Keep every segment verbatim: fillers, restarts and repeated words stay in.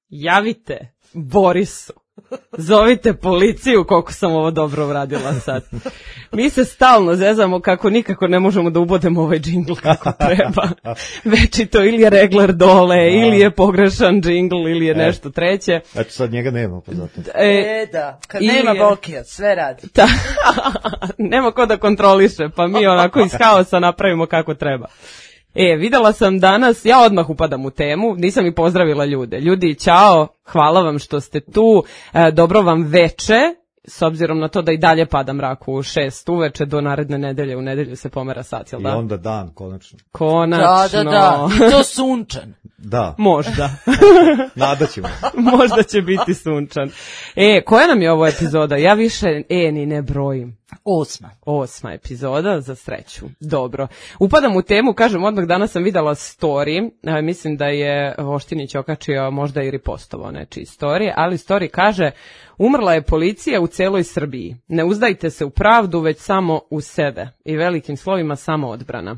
javite Borisu. Zovite policiju koliko sam ovo dobro uradila sad. Mi se stalno zezamo kako nikako ne možemo da ubodemo ovaj džingl kako treba. Večito ili je regler dole, da. Ili je pogrešan džingl, ili je e. nešto treće. Eto sad njega nema pa zato. E, e da, kad nema je... Bokija, sve radi. Ta, nema ko da kontroliše, pa mi onako iz haosa napravimo kako treba. E, videla sam danas, ja odmah upadam u temu, nisam i pozdravila ljude. Ljudi, ćao, hvala vam što ste tu, e, dobro vam veče, s obzirom na to da i dalje pada mrak u šest uveče do naredne nedelje, u nedelju se pomera sat, jel da? I onda dan, konačno. Konačno. Da, da, da, i to sunčan. Da. Možda. Nadat ćemo. Možda će biti sunčan. E, koja nam je ovo epizoda? Ja više e ni ne brojim. Osma. Osma epizoda, za sreću. Dobro. Upadam u temu, kažem, odmah danas sam videla story, e, mislim da je Voštinić okačio možda i ripostovao nečiji story, ali story kaže, umrla je policija u celoj Srbiji. Ne uzdajte se u pravdu, već samo u sebe. I velikim slovima samo odbrana.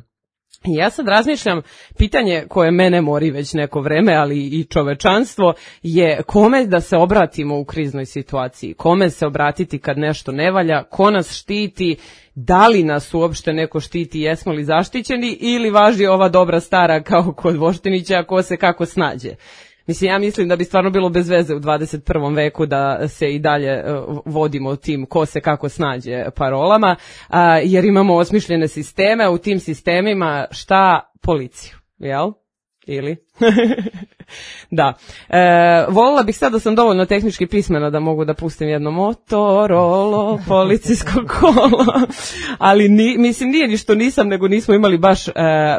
I ja sad razmišljam, pitanje koje mene mori već neko vreme, ali i čovečanstvo, je kome da se obratimo u kriznoj situaciji, kome se obratiti kad nešto ne valja, ko nas štiti, da li nas uopšte neko štiti, jesmo li zaštićeni ili važi ova dobra stara kao kod Voštinića, ko se kako snađe. Mislim, ja mislim da bi stvarno bilo bez veze u dvadeset prvom veku da se i dalje uh, vodimo tim ko se kako snađe parolama, uh, jer imamo osmišljene sisteme, u tim sistemima šta? Policiju, jel? Ili? Da. E, volila bih sad da sam dovoljno tehnički pismena da mogu da pustim jedno Motorolo, policijsko kolo, ali ni, mislim nije ni što nisam, nego nismo imali baš e,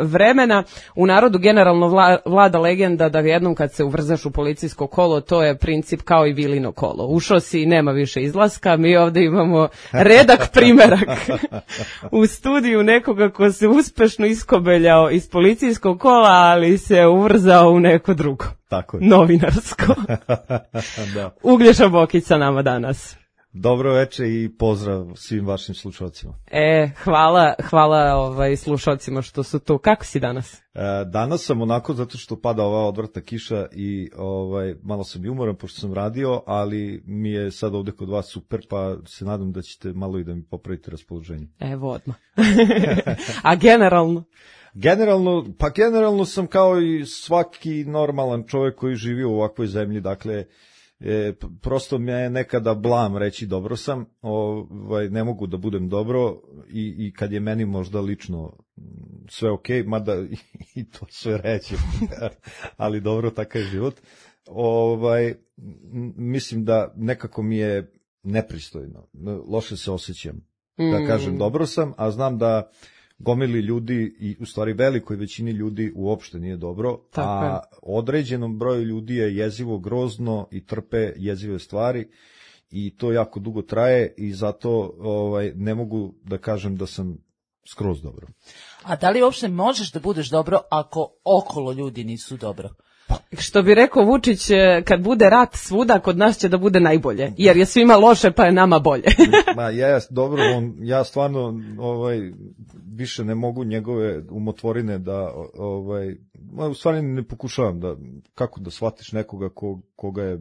vremena. U narodu generalno vla, vlada legenda da jednom kad se uvrzaš u policijsko kolo, to je princip kao i Vilino kolo. Ušao si i nema više izlaska, mi ovdje imamo redak primerak u studiju nekoga ko se uspešno iskobeljao iz policijskog kola, ali se uvrzao u neko drugo. Tako je. Novinarsko. Da. Uglješa Bokić sa nama danas. Dobro večer i pozdrav svim vašim slušalcima. E, hvala, hvala ovaj, slušalcima što su tu. Kako si danas? E, danas sam onako zato što pada ova odvrtna kiša i ovaj, malo sam i umoran pošto sam radio, ali mi je sad ovdje kod vas super, pa se nadam da ćete malo i da mi popravite raspoloženje. Evo odmah. A generalno? Generalno, pa generalno sam kao i svaki normalan čovjek koji živi u ovakvoj zemlji, dakle, e, prosto me je nekada blam reći dobro sam, ovaj, ne mogu da budem dobro i, i kad je meni možda lično sve okej, okay, mada i to sve reći, ali dobro, takav je život. Ovaj, mislim da nekako mi je nepristojno, loše se osjećam, da kažem dobro sam, a znam da gomili ljudi i u stvari velikoj većini ljudi uopšte nije dobro, tako a je. Određenom broju ljudi je jezivo grozno i trpe jezive stvari i to jako dugo traje i zato ovaj, ne mogu da kažem da sam skroz dobro. A da li uopšte možeš da budeš dobro ako okolo ljudi nisu dobro? Što bi rekao Vučić, kad bude rat svuda, kod nas će da bude najbolje, jer je svima loše pa je nama bolje. Ma jes, dobro, on, ja stvarno ovaj, više ne mogu njegove umotvorine da, ovaj, u stvari ne pokušavam da, kako da shvatiš nekoga ko, koga je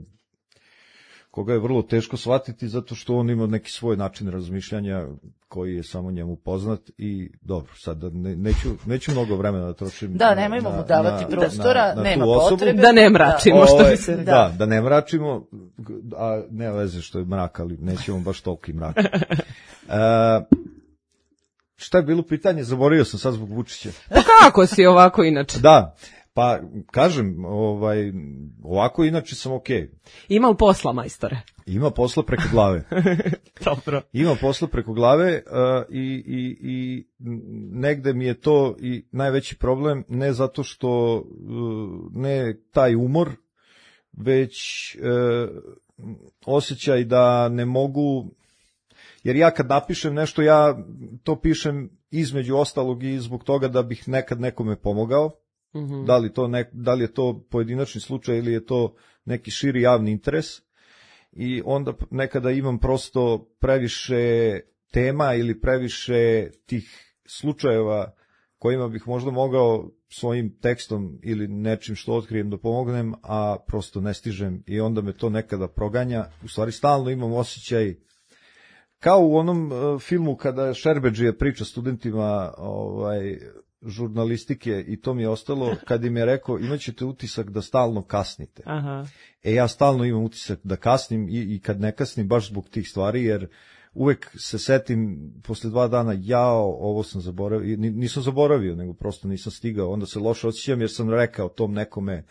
koga je vrlo teško shvatiti zato što on ima neki svoj način razmišljanja koji je samo njemu poznat i dobro, sad ne, neću, neću mnogo vremena da trošim. Da, nemojmo mu davati na, prostora, na, na nema potrebe. Da ne mračimo, da, što bi se... Da, da, da ne mračimo, a ne veze što je mrak, ali nećemo baš toliki mrak. Uh, šta je bilo pitanje? Zaboravio sam sad zbog Vučića. Pa kako si ovako inače? Da. Pa, kažem, ovaj, ovako inače sam okej. Okay. Ima li posla, majstore? Ima posla preko glave. Dobro. Ima posla preko glave uh, i, i, i negde mi je to i najveći problem, ne zato što uh, ne taj umor, već uh, osjećaj da ne mogu, jer ja kad napišem nešto, ja to pišem između ostalog i zbog toga da bih nekad nekome pomogao. Mm-hmm. Da li to nek, da li je to pojedinačni slučaj ili je to neki širi javni interes i onda nekada imam prosto previše tema ili previše tih slučajeva kojima bih možda mogao svojim tekstom ili nečim što otkrijem da pomognem, a prosto ne stižem i onda me to nekada proganja. U stvari stalno imam osjećaj, kao u onom uh, filmu kada Šerbedžija priča studentima ovaj, žurnalistike i to mi je ostalo, kad im je rekao imat ćete utisak da stalno kasnite. Aha. E ja stalno imam utisak da kasnim i, i kad ne kasnim baš zbog tih stvari, jer uvek se setim posle dva dana, jao, ovo sam zaboravio, nisam zaboravio, nego prosto nisam stigao, onda se loše osjećam jer sam rekao tom nekome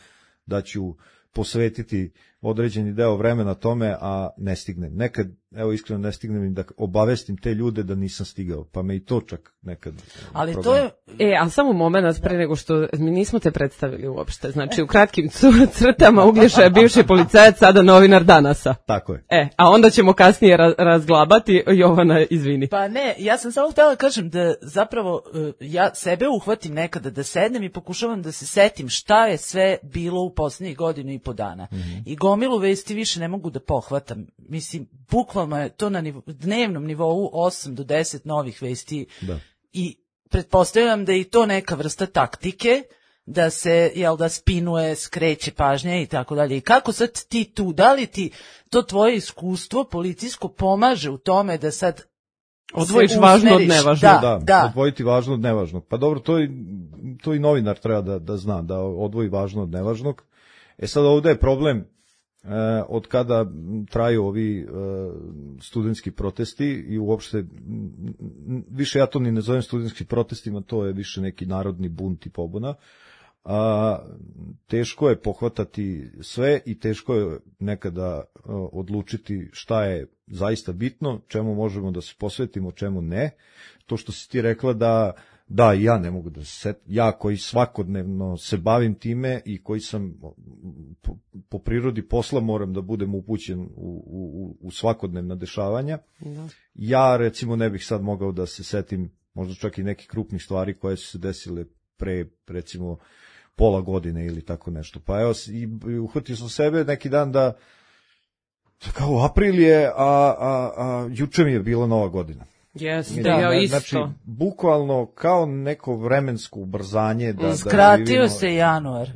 da ću posvetiti određeni deo vremena tome, a ne stignem. Nekad, evo iskreno ne stignem im da obavestim te ljude da nisam stigao, pa me i to čak nekad... Ali problem. to je... E, a samo moment pre nego što mi nismo te predstavili uopšte. Znači, u kratkim crtama Uglješa je bivši policajac, sada novinar Danasa. Tako je. E, a onda ćemo kasnije ra- razglabati. Jovana, izvini. Pa ne, ja sam samo htjela kažem da zapravo uh, ja sebe uhvatim nekada da sednem i pokušavam da se setim šta je sve bilo u posljednjih godinu i po dana. Mm-hmm. I gomilu vesti više ne mogu da pohvatam. Mislim, bukvalno je to na nivo, dnevnom nivou osam do deset novih vesti. Da. I pretpostavljam da je i to neka vrsta taktike, da se, jel da, spinuje, skreće pažnje i tako dalje. I kako sad ti tu, da li ti to tvoje iskustvo policijsko pomaže u tome da sad odvojiš važno od nevažnog? Da, da, da. odvojiti važno od nevažnog. Pa dobro, to i, to i novinar treba da, da zna, da odvoji važno od nevažnog. E sad ovde je problem eh, od kada traju ovi eh, studentski protesti i uopšte, m, više ja to ni ne zovem studentskim protestima, to je više neki narodni bunt i pobuna. A, teško je pohvatati sve i teško je nekada uh, odlučiti šta je zaista bitno, čemu možemo da se posvetimo, čemu ne. To što si ti rekla da da i ja ne mogu da se set, ja koji svakodnevno se bavim time i koji sam po, po prirodi posla moram da budem upućen u, u, u svakodnevna dešavanja. Da. Ja recimo ne bih sad mogao da se setim možda čak i nekih krupnih stvari koje su se desile pre recimo pola godine ili tako nešto. Pa evo, i uhvatio sam sebe neki dan da kao april je, a, a, a juče mi je bila nova godina. Jeste, da, ja ne, isto. Znači, bukvalno kao neko vremensko ubrzanje. Da, skratio da živimo, se januar.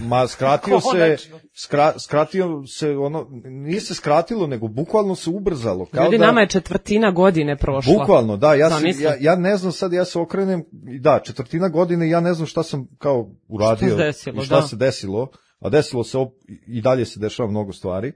Ma, skratio se, skra, skratio se, ono, nije se skratilo, nego bukvalno se ubrzalo. Kao Ljudi, da, nama je četvrtina godine prošla. Bukvalno, da, ja, sam, ja, ja ne znam sad, ja se okrenem, da, četvrtina godine, ja ne znam šta sam kao uradio. Šta se desilo, i šta da. se desilo, a desilo se op, i dalje se dešava mnogo stvari.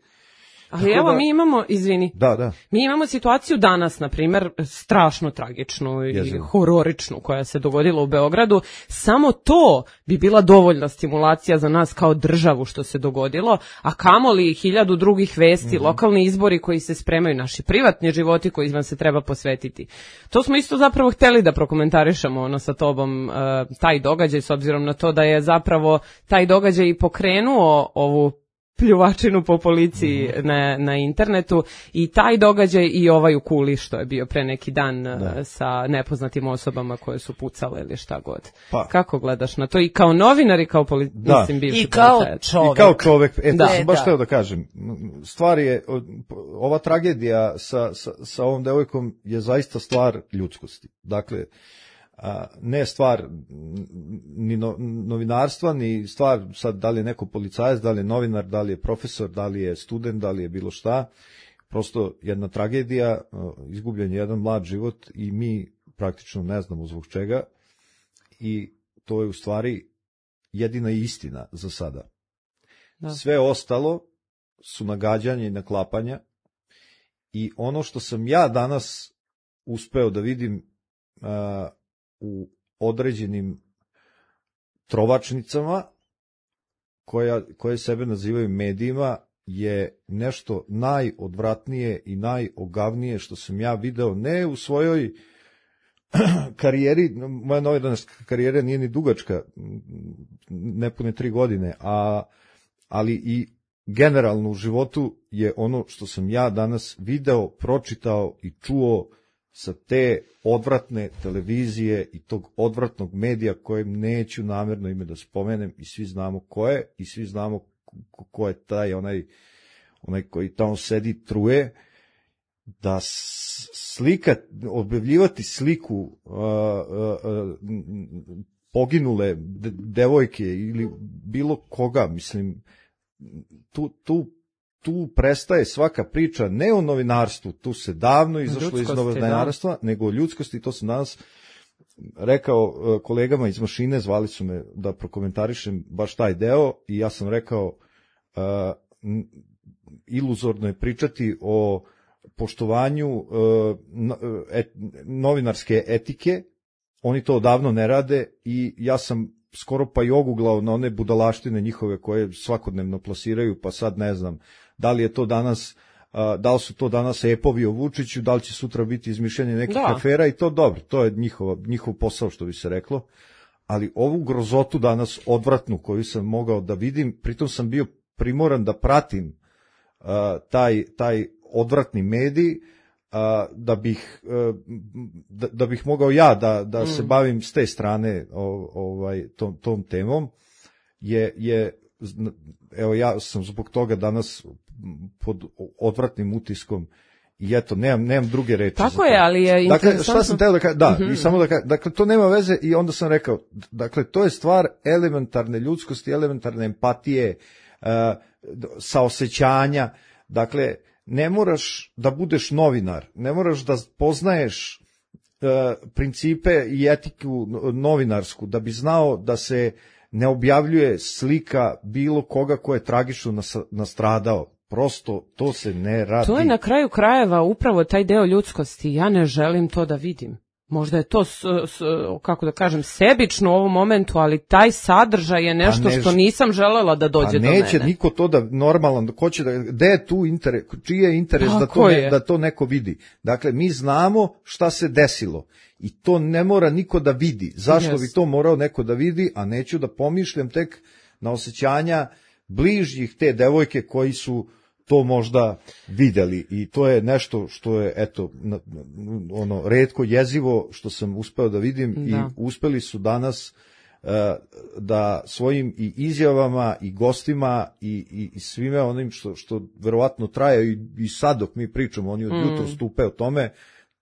Ali Tako evo, da, mi imamo, izvini, da, da. mi imamo situaciju danas, na primjer, strašno tragičnu i Jezino. hororičnu koja se dogodila u Beogradu. Samo to bi bila dovoljna stimulacija za nas kao državu što se dogodilo, a kamoli hiljadu drugih vesti, mm-hmm. lokalni izbori koji se spremaju, naši privatni životi koji vam se treba posvetiti. To smo isto zapravo hteli da prokomentarišemo ono sa tobom, uh, taj događaj, s obzirom na to da je zapravo taj događaj i pokrenuo ovu pljuvačinu po policiji mm-hmm. na, na internetu i taj događaj i ovaj u Kuli što je bio pre neki dan da. sa nepoznatim osobama koje su pucale ili šta god. Pa. Kako gledaš na to? I kao novinar i kao poli... da. mislim, bivši I kao policajac. čovek. I kao čovek. E, da. to sam baš hteo da kažem. Stvar je, ova tragedija sa, sa, sa ovom devojkom je zaista stvar ljudskosti. Dakle, a, ne stvar ni no, novinarstva, ni stvar sad da li je neko policajac, da li je novinar, da li je profesor, da li je student, da li je bilo šta. Prosto jedna tragedija, izgubljen je jedan mlad život i mi praktično ne znamo zbog čega i to je u stvari jedina istina za sada. Da. Sve ostalo su nagađanja i naklapanja i ono što sam ja danas uspeo da vidim uh, u određenim trovačnicama koja, koje sebe nazivaju medijima je nešto najodvratnije i najogavnije što sam ja video, ne u svojoj karijeri, moja novinarska karijera nije ni dugačka, nepune tri godine, a, ali i generalno u životu je ono što sam ja danas video, pročitao i čuo sa te odvratne televizije i tog odvratnog medija kojem neću namjerno ime da spomenem i svi znamo ko je i svi znamo ko je taj onaj, onaj koji tamo sedi truje da slika, objavljivati sliku uh, uh, poginule de, devojke ili bilo koga, mislim, tu, tu, tu prestaje svaka priča ne o novinarstvu, tu se davno izašlo iz novinarstva, da. nego o ljudskosti, to sam danas rekao uh, kolegama iz mašine, zvali su me da prokomentarišem baš taj deo i ja sam rekao uh, iluzorno je pričati o poštovanju uh, et, novinarske etike, oni to odavno ne rade i ja sam skoro pa i oguglao na one budalaštine njihove koje svakodnevno plasiraju, pa sad ne znam da li je to danas, uh, da li su to danas epovi o Vučiću, da li će sutra biti izmišljanje nekih da. afera i to dobro, to je njihova, njihov posao što bi se reklo, ali ovu grozotu danas odvratnu koju sam mogao da vidim, pritom sam bio primoran da pratim uh, taj, taj odvratni medij, uh, da bih uh, da, da bih mogao ja da da mm. se bavim s te strane o, ovaj tom tom temom je je evo ja sam zbog toga danas pod odvratnim utiskom i eto nemam nemam druge reči. Tako je, ali je interesantno. Dakle, šta sam teo da kažem, da, mm-hmm. i samo da kažem, dakle to nema veze i onda sam rekao, dakle to je stvar elementarne ljudskosti, elementarne empatije, uh, saosećanja, dakle ne moraš da budeš novinar, ne moraš da poznaješ uh, principe i etiku novinarsku da bi znao da se ne objavljuje slika bilo koga ko je tragično nas, nastradao. Prosto to se ne radi. To je na kraju krajeva upravo taj deo ljudskosti. Ja ne želim to da vidim. Možda je to, s, s, kako da kažem, sebično u ovom momentu, ali taj sadržaj je nešto pa ne, što nisam želela da dođe do mene. A neće niko to da normalan, ko će da, gde je tu interes, čiji je interes da to, ne, da to neko vidi. Dakle, mi znamo šta se desilo i to ne mora niko da vidi. Zašto yes. bi to morao neko da vidi, a neću da pomišljam tek na osjećanja bližnjih te devojke koji su to možda videli i to je nešto što je eto ono retko jezivo što sam uspeo da vidim da. I uspeli su danas uh, da svojim i izjavama i gostima i, i, i svime onim što, što verovatno traje i, i sad dok mi pričamo, oni od mm. jutros stupe o tome,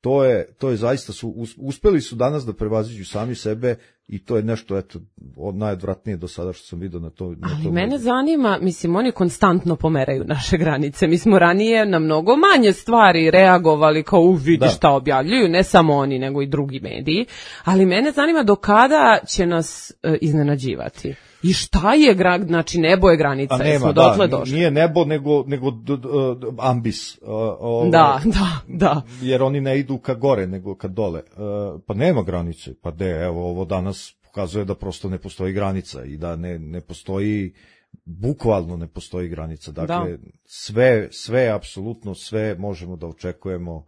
to je, to je zaista su, uspeli su danas da prevaziđu sami sebe i to je nešto, eto, od najodvratnije do sada što sam vidio na to. Na Ali to mene zanima, mislim, oni konstantno pomeraju naše granice. Mi smo ranije na mnogo manje stvari reagovali kao, u, vidi da. šta objavljuju, ne samo oni, nego i drugi mediji. Ali mene zanima do kada će nas e, iznenađivati. I šta je, gra, znači nebo je granica, nema, smo dotle da, došli. Nije nebo, nego, nego d, d, d, ambis. Uh, ovaj, da, da, da. Jer oni ne idu ka gore, nego ka dole. Uh, pa nema granice, pa de, evo, ovo danas pokazuje da prosto ne postoji granica i da ne, ne postoji, bukvalno ne postoji granica. Dakle, da. sve, sve, apsolutno sve možemo da očekujemo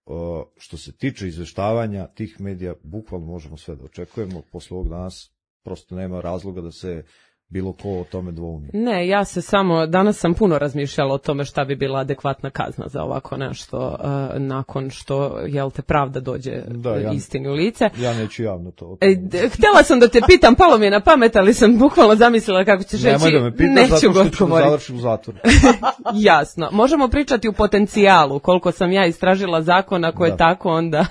uh, što se tiče izveštavanja tih medija, bukvalno možemo sve da očekujemo posle ovog danas. Prosto nema razloga da se bilo ko o tome dvoumi. Ne, ja se samo, danas sam puno razmišljala o tome šta bi bila adekvatna kazna za ovako nešto, uh, nakon što, jel te, pravda dođe da, ja, istini u lice. Ja neću javno to. E, htjela sam da te pitam, palo mi je na pamet, ali sam bukvalno zamislila kako ćeš reći. Nemoj da me pitaš, neću zato što ću govoriti. Završiti u zatvoru. Jasno. Možemo pričati u potencijalu, koliko sam ja istražila zakona koje da. tako onda...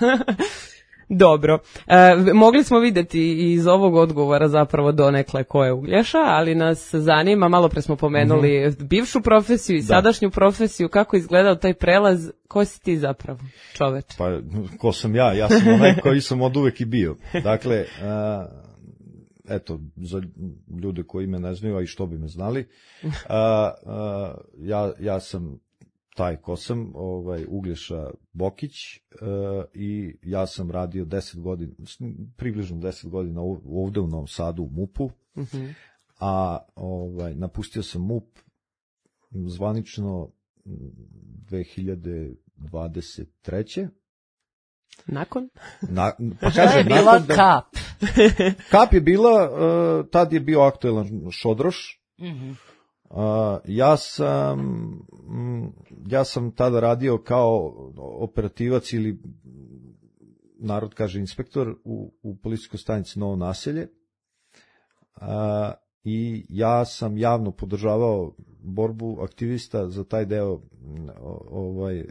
Dobro, e, mogli smo vidjeti iz ovog odgovora zapravo donekle ko je Uglješa, ali nas zanima, malo pre smo pomenuli mm-hmm. bivšu profesiju i da. sadašnju profesiju, kako izgledao taj prelaz, ko si ti zapravo, čoveč? Pa, ko sam ja, ja sam onaj koji sam od uvek i bio. Dakle, a, eto, za ljude koji me ne znaju, a i što bi me znali, a, a, ja, ja sam taj ko sam, ovaj, Uglješa Bokić, e, i ja sam radio deset godina, približno deset godina ovde u Novom Sadu u MUP-u, mm-hmm. a ovaj, napustio sam MUP zvanično dve hiljade dvadeset treće Nakon? Na, pa kažem, je bila da, kap. Kap je bila, uh, tad je bio aktuelan Šodroš, mm-hmm. Uh, ja sam ja sam tada radio kao operativac ili narod kaže inspektor u, u policijskoj stanici Novo Naselje, uh, i ja sam javno podržavao borbu aktivista za taj deo ovaj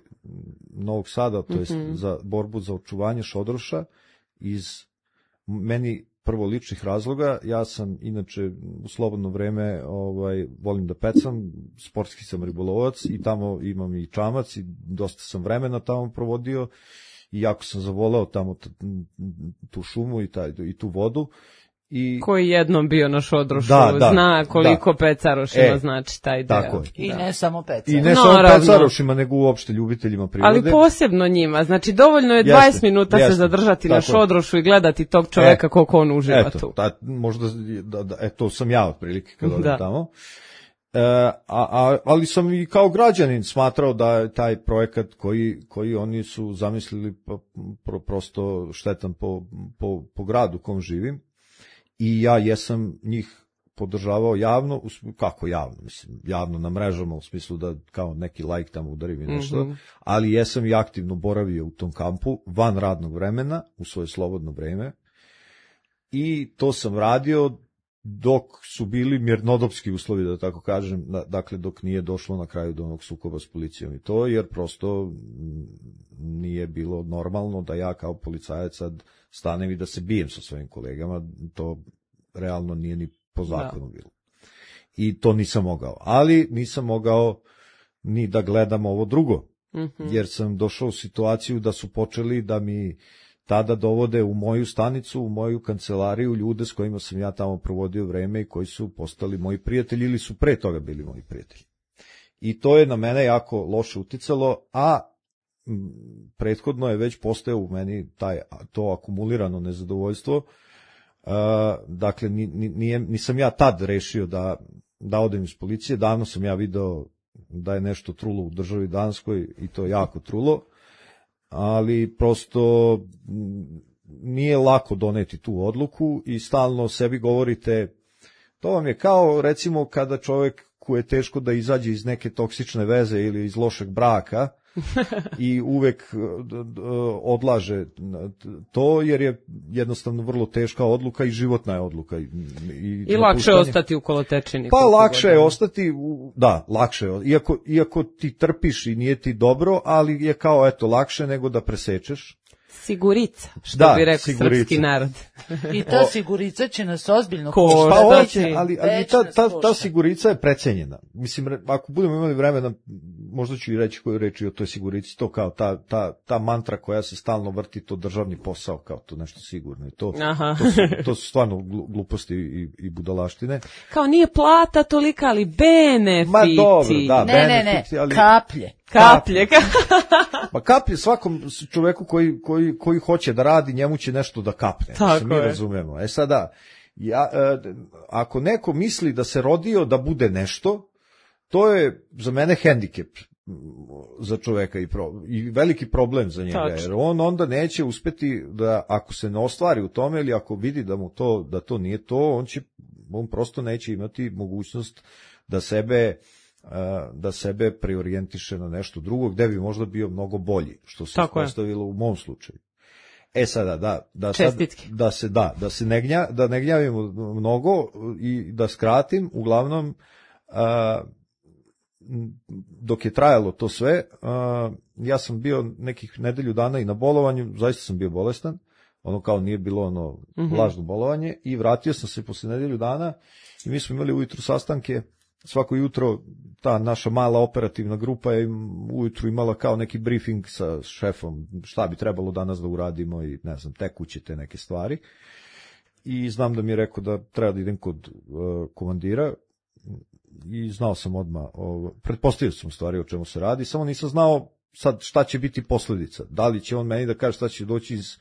Novog Sada, to jest mm-hmm. za borbu za očuvanje Šodroša iz meni prvo ličnih razloga. Ja sam inače u slobodno vreme ovaj volim da pecam, sportski sam ribolovac i tamo imam i čamac i dosta sam vremena tamo provodio i jako sam zavoleo tamo t, tu šumu i, taj, i tu vodu. I koji jednom bio na Šodrošu, da, da, zna koliko da. Pecarošima e, znači taj deo. Tako je. I da. ne samo Pecarošima. I ne no, samo ravno. Pecarošima, nego uopšte ljubiteljima prirode. Ali posebno njima. Znači, dovoljno je dvadeset jeste, minuta jeste, se zadržati na Šodrošu i gledati tog čoveka e, koliko on uživa eto, tu. Ta, možda, da, da, e, to sam ja otprilike kad odem da. tamo. E, a, a, ali sam i kao građanin smatrao da je taj projekat koji, koji oni su zamislili pro, prosto štetan po, po, po gradu u kom živim. I ja jesam njih podržavao javno, kako javno, mislim, javno na mrežama, u smislu da kao neki like tamo udari mi nešto, mm-hmm. ali jesam i aktivno boravio u tom kampu, van radnog vremena, u svoje slobodno vreme, i to sam radio dok su bili mirnodopski uslovi, da tako kažem, dakle dok nije došlo na kraju do onog sukoba s policijom i to, jer prosto nije bilo normalno da ja kao policajac sad stanem i da se bijem sa svojim kolegama, to realno nije ni po zakonu da. bilo. I to nisam mogao. Ali nisam mogao ni da gledam ovo drugo, mm-hmm. jer sam došao u situaciju da su počeli da mi tada dovode u moju stanicu, u moju kancelariju ljude s kojima sam ja tamo provodio vreme i koji su postali moji prijatelji ili su pre toga bili moji prijatelji. I to je na mene jako loše uticalo, a m, prethodno je već postojao u meni taj, to akumulirano nezadovoljstvo. Uh, dakle, nije, nisam ja tad rešio da, da odem iz policije, davno sam ja video da je nešto trulo u državi Danskoj i to jako trulo, ali prosto nije lako doneti tu odluku i stalno sebi govorite, to vam je kao recimo kada čovjek koji je teško da izađe iz neke toksične veze ili iz lošeg braka i uvek odlaže to jer je jednostavno vrlo teška odluka i životna je odluka. I, i, I lakše je ostati u kolotečini. Pa lakše je ostati, da, lakše je. Iako, iako ti trpiš i nije ti dobro, ali je kao eto lakše nego da presečeš. Sigurica, što da, bi rekao sigurica. Srpski narod. I ta sigurica će nas ozbiljno koštati. Pa hoće, ali, ali ta, ta, ta sigurica je precenjena. Mislim, ako budemo imali vremena, možda ću i reći koju reči o toj sigurici, to kao ta, ta, ta mantra koja se stalno vrti, to državni posao, kao to nešto sigurno. I to, to, su, to su stvarno gluposti i, i budalaštine. Kao nije plata tolika, ali benefiti. Ma dobro, da, ne, benefiti. Ne, ne, ali... kaplje. Kaplje. Pa kaplje svakom čoveku koji, koji, koji hoće da radi, njemu će nešto da kapne. Tako mi je. razumemo. E sada, ja, e, ako neko misli da se rodio da bude nešto, to je za mene hendikep za čoveka i, pro, i veliki problem za njega. Tačno. Jer on onda neće uspeti da, ako se ne ostvari u tome ili ako vidi da mu to, da to nije to, on će, on prosto neće imati mogućnost da sebe da sebe preorijentiše na nešto drugo, gde bi možda bio mnogo bolji, što se postavilo u mom slučaju. E sada, da, da, sad, da se, da, da se ne, gnja, da ne gnjavimo mnogo i da skratim, uglavnom, a, dok je trajalo to sve, a, ja sam bio nekih nedelju dana i na bolovanju, zaista sam bio bolestan, ono kao nije bilo ono mm-hmm. lažno bolovanje, i vratio sam se posle nedelju dana i mi smo imali ujutru sastanke. Svako jutro ta naša mala operativna grupa je ujutru imala kao neki briefing sa šefom šta bi trebalo danas da uradimo i ne znam, tekuće te neke stvari. I znam da mi je rekao da treba da idem kod uh, komandira i znao sam odmah, uh, pretpostavio sam u stvari o čemu se radi, samo nisam znao sad šta će biti posljedica. Da li će on meni da kaže šta će doći iz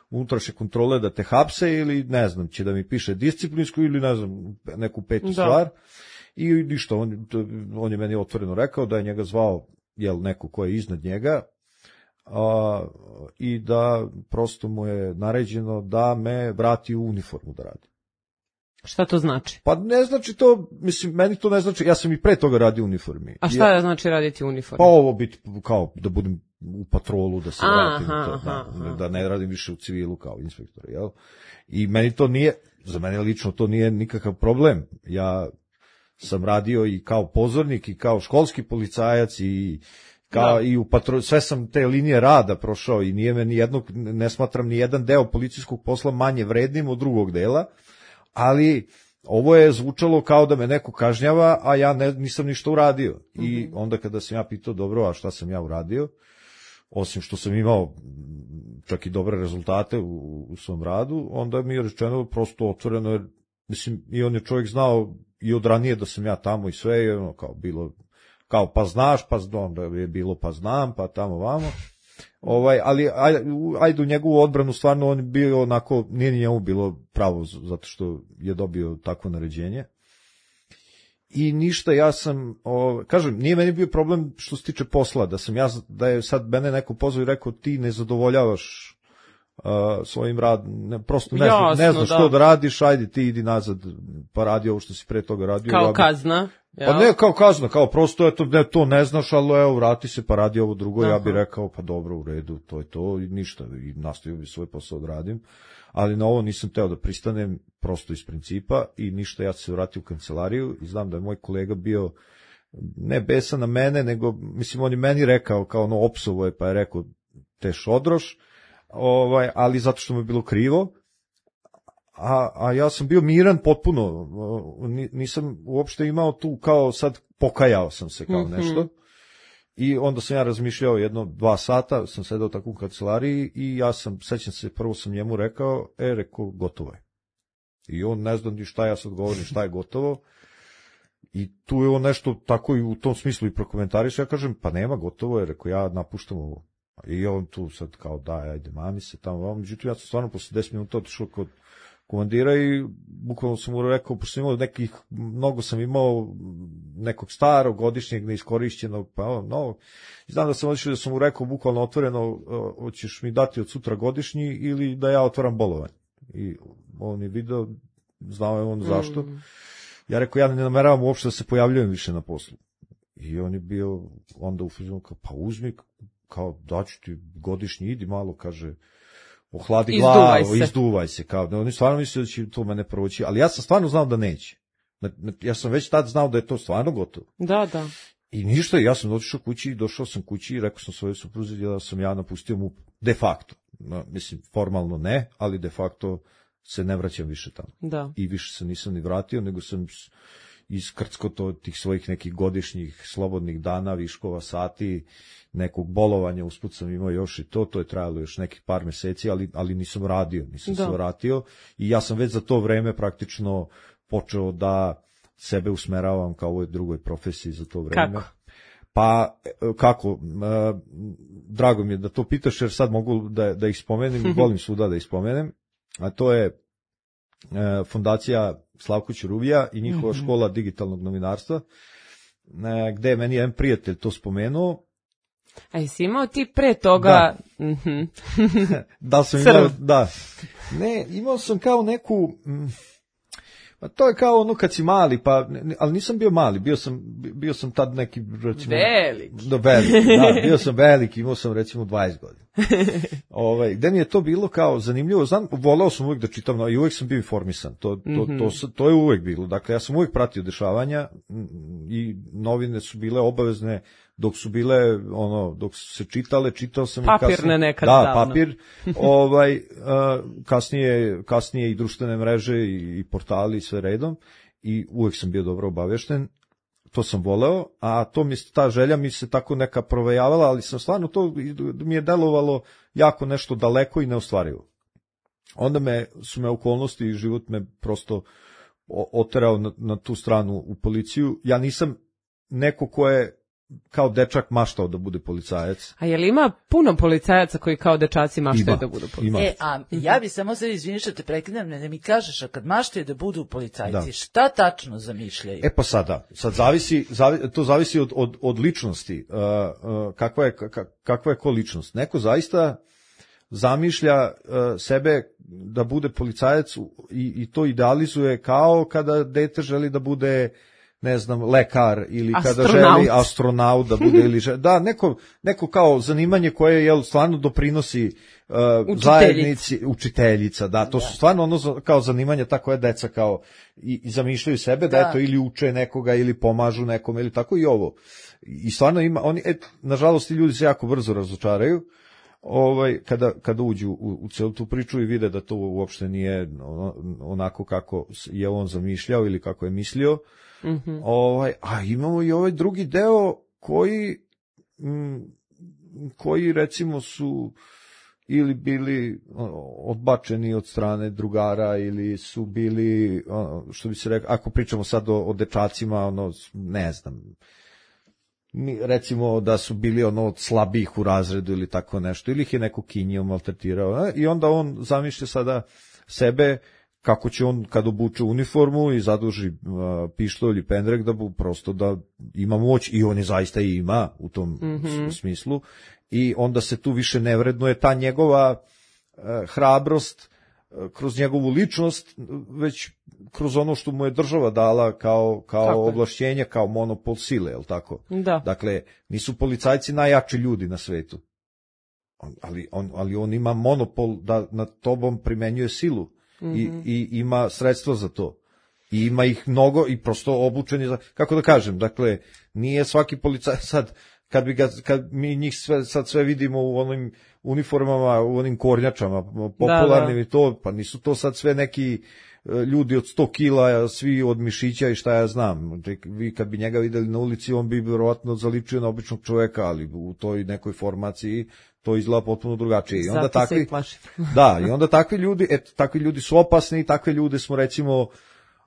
unutrašnje kontrole da te hapse ili ne znam, će da mi piše disciplinsku ili ne znam, neku petu da. stvar. I ništa, on, on je meni otvoreno rekao da je njega zvao jel, neko ko je iznad njega a, i da prosto mu je naređeno da me vrati u uniformu da radi. Šta to znači? Pa ne znači to, mislim, meni to ne znači, ja sam i pre toga radio u uniformi. A šta ja, znači raditi u uniformi? Pa ovo biti kao da budem u patrolu, da se aha, vratim, to, aha, da, aha. da ne radim više u civilu kao inspektor, jel? I meni to nije, za mene lično to nije nikakav problem. Ja sam radio i kao pozornik i kao školski policajac i kao Da. i u patro, sve sam te linije rada prošao i nije me ni jednog, ne smatram ni jedan deo policijskog posla manje vrednim od drugog dela, ali ovo je zvučalo kao da me neko kažnjava, a ja ne, nisam ništa uradio. Mm-hmm. I onda kada sam ja pitao, dobro, a šta sam ja uradio, osim što sam imao čak i dobre rezultate u, u svom radu, onda mi je rečeno prosto otvoreno, jer, mislim, i on je čovjek znao i od ranije da sam ja tamo i sve, je ono kao bilo, kao pa znaš, pa onda je bilo pa znam, pa tamo vamo. Ovaj, ali ajde, ajde u njegovu odbranu, stvarno on je bio onako, nije ni njemu bilo pravo, zato što je dobio takvo naređenje. I ništa, ja sam, o, kažem, nije meni bio problem što se tiče posla, da sam ja, da je sad mene neko pozvao i rekao ti ne zadovoljavaš uh, svojim radom, ne, prosto ne, Jasno, zna, ne znaš da. što da radiš, ajde ti idi nazad, pa radi ovo što si pre toga radio. Kao ja bi, kazna. Pa ne kao kazna, kao prosto eto, ne, to ne znaš, ali evo vrati se pa radi ovo drugo. Aha. Ja bih rekao pa dobro, u redu, to je to i ništa, i nastavio bi svoj posao odradim, ali na ovo nisam teo da pristanem prosto iz principa i ništa, ja se vratio u kancelariju i znam da je moj kolega bio ne besan na mene, nego mislim on je meni rekao kao ono opsovo je, pa je rekao te šodroš, ovaj, ali zato što mu je bilo krivo. A, a ja sam bio miran potpuno, nisam uopšte imao tu kao sad pokajao sam se kao nešto. Mm-hmm. I onda sam ja razmišljao jedno dva sata, sam sedao tako u kancelariji i ja sam, sećam se, prvo sam njemu rekao, e, rekao, gotovo je. I on ne zna ni šta ja sad govorim, šta je gotovo. I tu je on nešto tako i u tom smislu i prokomentariš, ja kažem, pa nema, gotovo je, rekao, ja napuštam ovo. I on tu sad kao, daj, ajde, mami se tamo, međutim, ja sam stvarno posle deset minuta otišao kod komandira i bukvalno sam mu rekao, pošto sam imao nekih, mnogo sam imao nekog starog, godišnjeg, neiskorišćenog, pa ono, novog. Znam da sam odlišao da sam mu rekao, bukvalno otvoreno, hoćeš mi dati od sutra godišnji ili da ja otvaram bolovanje. I on je video, znao je on zašto. Mm. Ja rekao, ja ne nameravam uopšte da se pojavljujem više na poslu. I on je bio onda u fazonu kao, pa uzmi, kao daću ti godišnji, idi malo, kaže, ohladi izduvaj glavu, se. izduvaj se, kao da oni stvarno misle da će to mene proći, ali ja sam stvarno znao da neće. Ja sam već tad znao da je to stvarno gotovo. Da, da. I ništa, ja sam došao kući, došao sam kući i rekao sam svojoj supruzi da sam ja napustio mu de facto. No, mislim, formalno ne, ali de facto se ne vraćam više tamo. Da. I više se nisam ni vratio, nego sam iskrcko to tih svojih nekih godišnjih slobodnih dana, viškova sati, nekog bolovanja, usput sam imao još i to, to je trajalo još nekih par meseci, ali, ali nisam radio, nisam da. se vratio i ja sam već za to vreme praktično počeo da sebe usmeravam kao ovoj drugoj profesiji za to vreme. Kako? Pa, kako, drago mi je da to pitaš, jer sad mogu da, da ih spomenem i volim svuda da ih spomenem, a to je fondacija Slavko Ćuruvija i njihova mm-hmm. škola digitalnog novinarstva, gde je meni jedan prijatelj to spomenuo. A jesi imao ti pre toga... Da, mm-hmm. da sam imao, da. Ne, imao sam kao neku... Pa to je kao ono kad si mali, pa, ali nisam bio mali, bio sam, bio sam tad neki, recimo... Veliki. Da, veliki, da, bio sam veliki, imao sam recimo dvadeset godina. Ovaj, gde mi je to bilo kao zanimljivo, znam, voleo sam uvijek da čitam, no, i uvijek sam bio informisan, to, to, mm-hmm. to, to, to je uvijek bilo, dakle ja sam uvijek pratio dešavanja i novine su bile obavezne dok su bile, ono, dok su se čitale, čitao sam papirne i kasnije, nekad da, davno. papir, ovaj, uh, kasnije, kasnije i društvene mreže i, i portali i sve redom i uvijek sam bio dobro obavješten, to sam voleo, a to mi ta želja mi se tako neka provejavala, ali sam stvarno to mi je delovalo jako nešto daleko i neostvarivo. Onda me su me okolnosti i život me prosto oterao na, na tu stranu u policiju. Ja nisam neko ko je kao dečak maštao da bude policajac. A je li ima puno policajaca koji kao dečaci maštaju da budu policajci? E, a ja bi samo se izvinio što te prekidam, ne mi kažeš, a kad maštaju da budu policajci, da. Šta tačno zamišljaju? E pa sada, sad zavisi, zavi, to zavisi od, od, od ličnosti. Uh, uh, kakva, je, kakva je ko ličnost? Neko zaista zamišlja uh, sebe da bude policajac i, i to idealizuje kao kada dete želi da bude ne znam, lekar ili kada Astronaut. želi astronaut da bude ili želi, da, neko, neko kao zanimanje koje jel, stvarno doprinosi uh, zajednici, učiteljica, da, to su stvarno ono kao zanimanja, tako je deca kao i, i zamišljaju sebe da, da eto ili uče nekoga ili pomažu nekom ili tako i ovo. I stvarno ima, oni, et, nažalost, ti ljudi se jako brzo razočaraju, ovaj, kada, kada uđu u, u celu tu priču i vide da to uopšte nije onako kako je on zamišljao ili kako je mislio. Mm-hmm. Ovaj, a imamo i ovaj drugi deo koji, m, koji recimo su ili bili odbačeni od strane drugara ili su bili, što bi se rekao, ako pričamo sad o, o dečacima, ono, ne znam, recimo da su bili ono od slabijih u razredu ili tako nešto, ili ih je neko kinjio, maltretirao, i onda on zamišlja sada sebe kako će on kad obuče uniformu i zaduži uh, pištolj ili pendrek da bu prosto da ima moć, i on je zaista i ima u tom mm-hmm. smislu, i onda se tu više ne vrednuje ta njegova uh, hrabrost uh, kroz njegovu ličnost, već kroz ono što mu je država dala kao, kao ovlašćenje, kao monopol sile, je li tako? Da. Dakle, nisu policajci najjači ljudi na svetu, on, ali, on, ali on ima monopol da nad tobom primenjuje silu. Mm-hmm. I, i ima sredstva za to. I ima ih mnogo i prosto obučeni za, kako da kažem, dakle, nije svaki policajac sad, kad bi ga, kad mi njih sve, sad sve vidimo u onim uniformama, u onim kornjačama, popularnim, da, da. I to, pa nisu to sad sve neki ljudi od sto kila, svi od mišića i šta ja znam. Vi kad bi njega videli na ulici, on bi vjerovatno zaličio na običnog čoveka, ali u toj nekoj formaciji to izgleda potpuno drugačije. I onda zato takvi, se i plašim. da, i onda takvi ljudi, eto, takvi ljudi su opasni, i takve ljude smo recimo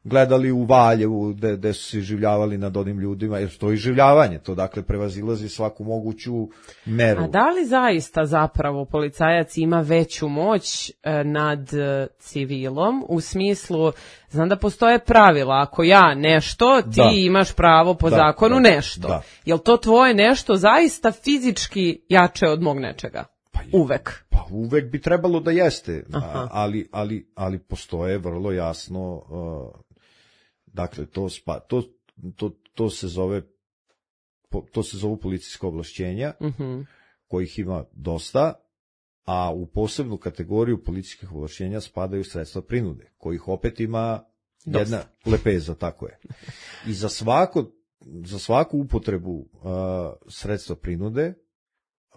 gledali u Valjevu, gde, gde su se življavali nad onim ljudima, jer to je življavanje, to dakle prevazilazi svaku moguću meru. A da li zaista zapravo policajac ima veću moć e, nad e, civilom, u smislu, znam da postoje pravila, ako ja nešto, ti da. imaš pravo po da, zakonu da, nešto. Da. Jel to tvoje nešto zaista fizički jače od mog nečega? Pa, uvek. Pa uvek bi trebalo da jeste, a, ali, ali, ali postoje vrlo jasno, uh, dakle, to, spa, to, to, to se zove, to se zovu policijska ovlašćenja, uh-huh. kojih ima dosta, a u posebnu kategoriju policijskih ovlašćenja spadaju sredstva prinude, kojih opet ima jedna dosta. Lepeza, tako je. I za svako, za svaku upotrebu uh, sredstva prinude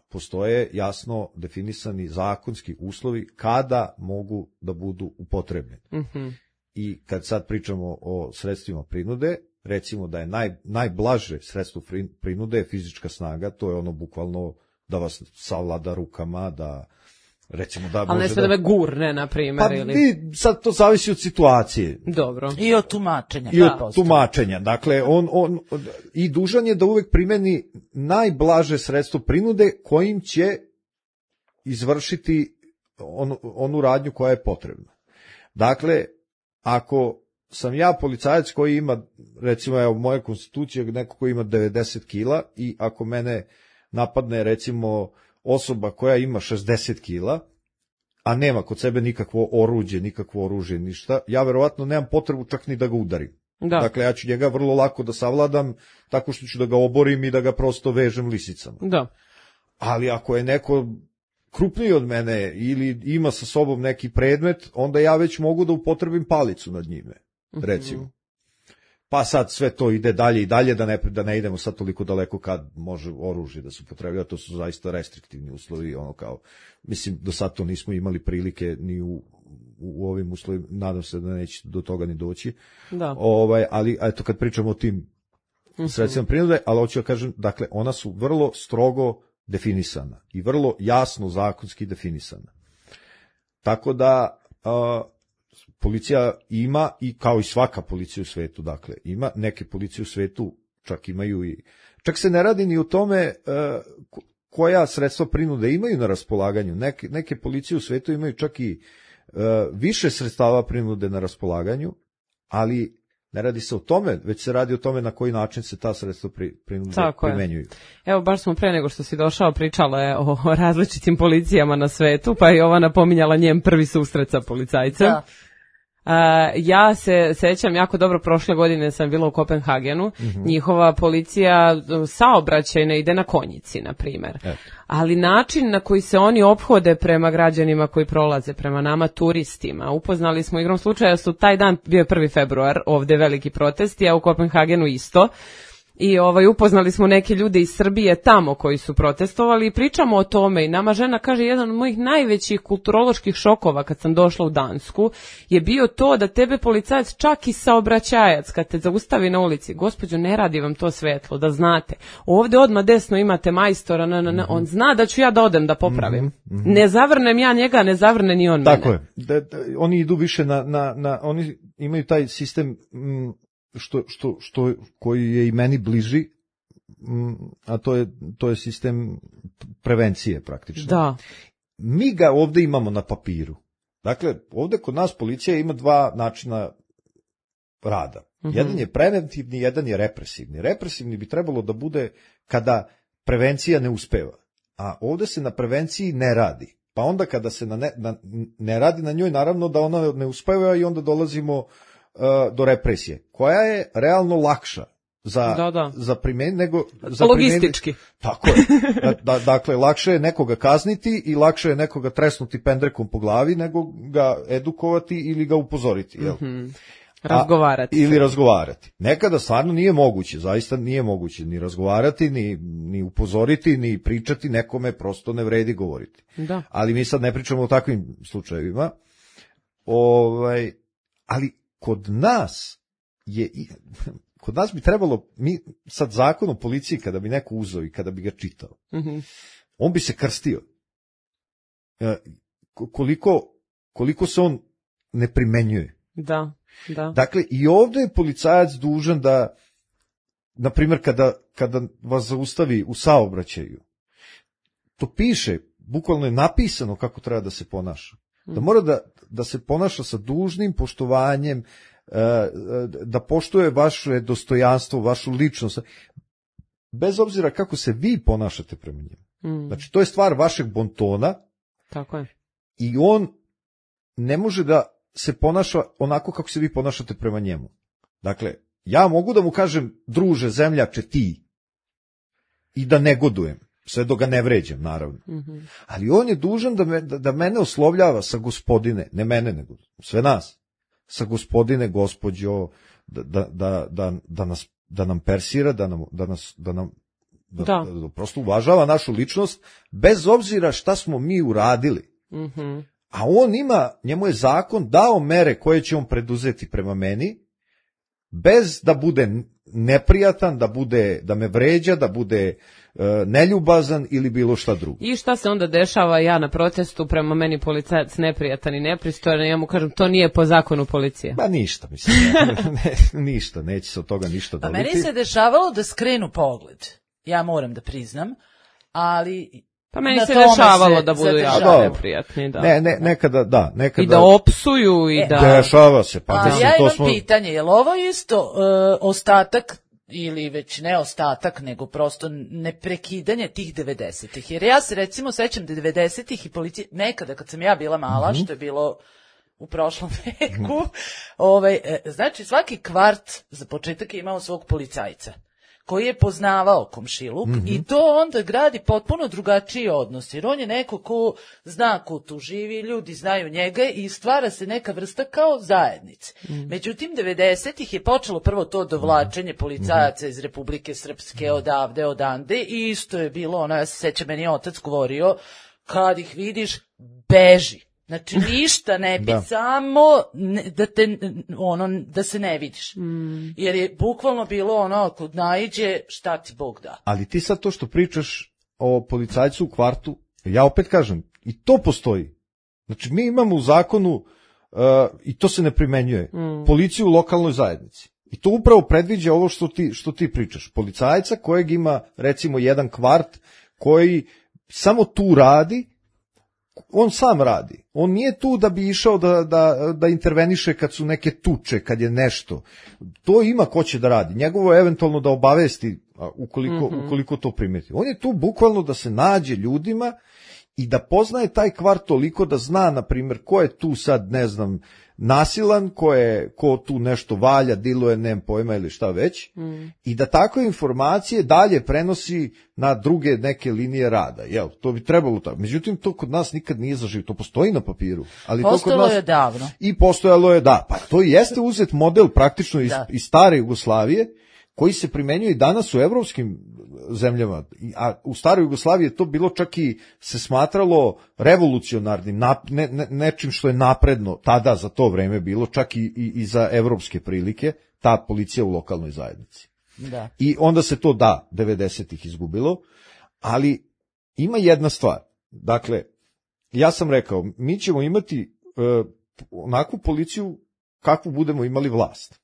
postoje jasno definisani zakonski uslovi kada mogu da budu upotrebljeni. Mm-hmm. I kad sad pričamo o sredstvima prinude, recimo da je naj, najblaže sredstvo prinude je fizička snaga, to je ono bukvalno da vas savlada rukama, da recimo da... Ali ne sve da me gurne, na primjer, pa, ili... Pa sad to zavisi od situacije. Dobro. I od tumačenja. I od tumačenja. Dakle, on, on, i dužan je da uvek primeni najblaže sredstvo prinude kojim će izvršiti on, onu radnju koja je potrebna. Dakle, ako sam ja policajac koji ima, recimo, evo, moja konstitucija, neko koji ima devedeset kila, i ako mene napadne, recimo, osoba koja ima šezdeset kila, a nema kod sebe nikakvo oruđe, nikakvo oružje, ništa, ja verovatno nemam potrebu čak ni da ga udarim. Da. Dakle, ja ću njega vrlo lako da savladam tako što ću da ga oborim i da ga prosto vežem lisicama. Da. Ali ako je neko krupniji od mene ili ima sa sobom neki predmet, onda ja već mogu da upotrebim palicu nad njime, recimo. Mm-hmm. Pa sad sve to ide dalje i dalje, da ne, da ne idemo sad toliko daleko kad može oružje da se upotrebljava, to su zaista restriktivni uslovi, ono kao, mislim, do sad to nismo imali prilike ni u, u ovim uslovima, nadam se da neće do toga ni doći. Da. Ovaj, ali eto kad pričamo o tim mm-hmm. sredstvima prinude, ali hoću da kažem, dakle, ona su vrlo strogo definisana i vrlo jasno zakonski definisana. Tako da a, policija ima, i kao i svaka policija u svetu, dakle, ima neke policije u svetu, čak imaju i, čak se ne radi ni o tome a, koja sredstva prinude imaju na raspolaganju. Neke, neke policije u svetu imaju čak i a, više sredstava prinude na raspolaganju, ali ne radi se o tome, već se radi o tome na koji način se ta sredstva pri, prinude primenjuju. Evo, baš smo pre nego što si došao pričale o različitim policijama na svetu, pa je ova napominjala njen prvi susret sa policajcem. Da. Uh, ja se sećam jako dobro, prošle godine sam bila u Kopenhagenu, mm-hmm. njihova policija saobraćajna ide na konjici, na primjer. E. Ali način na koji se oni ophode prema građanima koji prolaze, prema nama turistima, upoznali smo igrom slučaja su taj dan, bio je prvi februar, ovdje veliki protesti, a u Kopenhagenu isto. I ovaj, upoznali smo neke ljude iz Srbije tamo koji su protestovali i pričamo o tome i nama žena kaže jedan od mojih najvećih kulturoloških šokova kad sam došla u Dansku je bio to da tebe policajac čak i saobraćajac kad te zaustavi na ulici, gospođo ne radi vam to svetlo da znate, ovdje odmah desno imate majstora, na, na, na, on zna da ću ja da odem da popravim, mm-hmm. ne zavrnem ja njega, ne zavrne ni on mene. Tako je, da, da, oni idu više na, na, na, oni imaju taj sistem m, Što, što, što, koji je i meni bliži, a to je, to je sistem prevencije praktično. Da. Mi ga ovdje imamo na papiru. Dakle, ovdje kod nas policija ima dva načina rada. Mm-hmm. Jedan je preventivni, jedan je represivni. Represivni bi trebalo da bude kada prevencija ne uspeva. A ovdje se na prevenciji ne radi. Pa onda kada se na ne, na, ne radi na njoj, naravno da ona ne uspeva i onda dolazimo do represije, koja je realno lakša za, da, da. za primen, nego za logistički. Primen... Tako je. Da, da, dakle, lakše je nekoga kazniti i lakše je nekoga tresnuti pendrekom po glavi nego ga edukovati ili ga upozoriti. Jel? Mm-hmm. Razgovarati. A, ili razgovarati. Nekada stvarno nije moguće, zaista nije moguće ni razgovarati, ni, ni upozoriti, ni pričati, nekome prosto ne vredi govoriti. Da. Ali mi sad ne pričamo o takvim slučajevima. Ovaj, ali kod nas je, kod nas bi trebalo, mi sad zakon o policiji kada bi neko uzeo i kada bi ga čitao, mm-hmm. on bi se krstio. Koliko, koliko se on ne primenjuje. Da, da. Dakle, i ovdje je policajac dužan da, na primjer, kada, kada vas zaustavi u saobraćaju, to piše, bukvalno je napisano kako treba da se ponaša. Da mora da, da se ponaša sa dužnim poštovanjem, da poštuje vaše dostojanstvo, vašu ličnost, bez obzira kako se vi ponašate prema njemu. Mm. Znači, to je stvar vašeg bontona. Tako je. I on ne može da se ponaša onako kako se vi ponašate prema njemu. Dakle, ja mogu da mu kažem, druže, zemljače, ti, i da negodujem. Sve dok ga ne vređam, naravno. Mm-hmm. Ali on je dužan da, me, da, da mene oslovljava sa gospodine, ne mene, nego sve nas, sa gospodine, gospođo, da, da, da, da, da, nas, da nam persira, da nam, da nas, da nam da, da. Da, da prosto uvažava našu ličnost, bez obzira šta smo mi uradili. Mm-hmm. A on ima, njemu je zakon dao mere koje će on preduzeti prema meni, bez da bude neprijatan, da bude, da me vređa, da bude neljubazan ili bilo šta drugo. I šta se onda dešava, ja na protestu prema meni policajac neprijatan i nepristojan, ja mu kažem to nije po zakonu policije. Ba ništa, mislim, ne, ne, ništa, neće se od toga ništa dobiti. A meni se dešavalo da skrenu pogled, ja moram da priznam, ali... Pa meni se dešavalo da budu jako neprijatni, da. Ne, ne, nekada, da, nekada. I da opsuju i e, da... Dešava se, pa A ja imam smo... pitanje, je li ovo isto uh, ostatak ili već ne ostatak, nego prosto neprekidanje tih devedesetih. Jer ja se recimo sećam da devedesetih i policija, nekada kad sam ja bila mala, mm-hmm. što je bilo u prošlom veku, mm-hmm. ovaj, znači svaki kvart za početak je imao svog policajca koji je poznavao komšiluk mm-hmm. i to onda gradi potpuno drugačiji odnos, jer on je neko ko zna ko tu živi, ljudi znaju njega i stvara se neka vrsta kao zajednice. Mm-hmm. Međutim, devedesetih je počelo prvo to dovlačenje policajaca iz Republike Srpske odavde, odande i isto je bilo, ono, ja se sećam, meni je otac govorio, kad ih vidiš, beži. Znači ništa ne bi, samo ne, da te ono da se ne vidiš. Mm. Jer je bukvalno bilo ono ako naiđe šta ti Bog da. Ali ti sad to što pričaš o policajcu u kvartu, ja opet kažem, i to postoji. Znači mi imamo u zakonu uh, i to se ne primenjuje. Mm. Policiju u lokalnoj zajednici. I to upravo predviđa ovo što ti što ti pričaš. Policajca kojeg ima recimo jedan kvart koji samo tu radi, on sam radi. On nije tu da bi išao da, da, da interveniše kad su neke tuče, kad je nešto. To ima ko će da radi. Njegovo je eventualno da obavesti ukoliko, mm-hmm. ukoliko to primeti. On je tu bukvalno da se nađe ljudima i da poznaje taj kvart toliko da zna, na primjer, ko je tu sad, ne znam, nasilan, ko, je, ko tu nešto valja, diluje, nem pojma ili šta već, mm. i da takve informacije dalje prenosi na druge neke linije rada. Jel, to bi trebalo tako. Međutim, to kod nas nikad nije zaživio. To postoji na papiru. Ali postojalo to kod nas... je davno. I postojalo je, da. Pa to jeste uzet model praktično iz, iz stare Jugoslavije, koji se primenjuje i danas u evropskim zemljama, a u staroj Jugoslaviji je to bilo čak i se smatralo revolucionarnim, ne, ne, nečim što je napredno tada za to vreme bilo, čak i, i, i za evropske prilike, ta policija u lokalnoj zajednici. Da. I onda se to, da, devedesetih izgubilo, ali ima jedna stvar. Dakle, ja sam rekao, mi ćemo imati uh, onakvu policiju kakvu budemo imali vlast.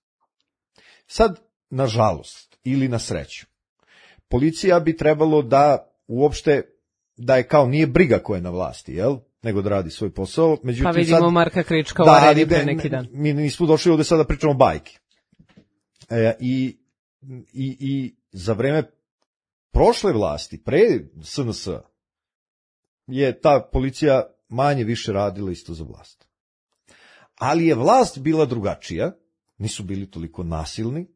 Sad, nažalost, ili na sreću, policija bi trebalo da uopšte, da je kao nije briga ko je na vlasti, jel? Nego da radi svoj posao. Međutim, pa vidimo sad, Marka Krička u da, areni pre neki dan. Mi nismo došli ovde sad da pričamo bajke. E, i, i, I za vreme prošle vlasti, pre S N S, je ta policija manje više radila isto za vlast. Ali je vlast bila drugačija, nisu bili toliko nasilni,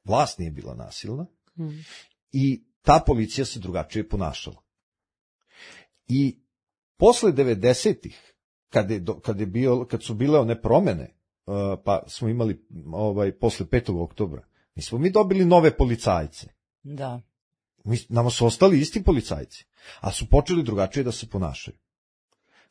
vlast nije bila nasilna, hmm. i ta policija se drugačije ponašala. I posle devedesetih, kad, je, kad, je bio, kad su bile one promene, pa smo imali ovaj, posle petog oktobra, mi smo mi dobili nove policajce. Da. Mi, nama su ostali isti policajci, a su počeli drugačije da se ponašaju.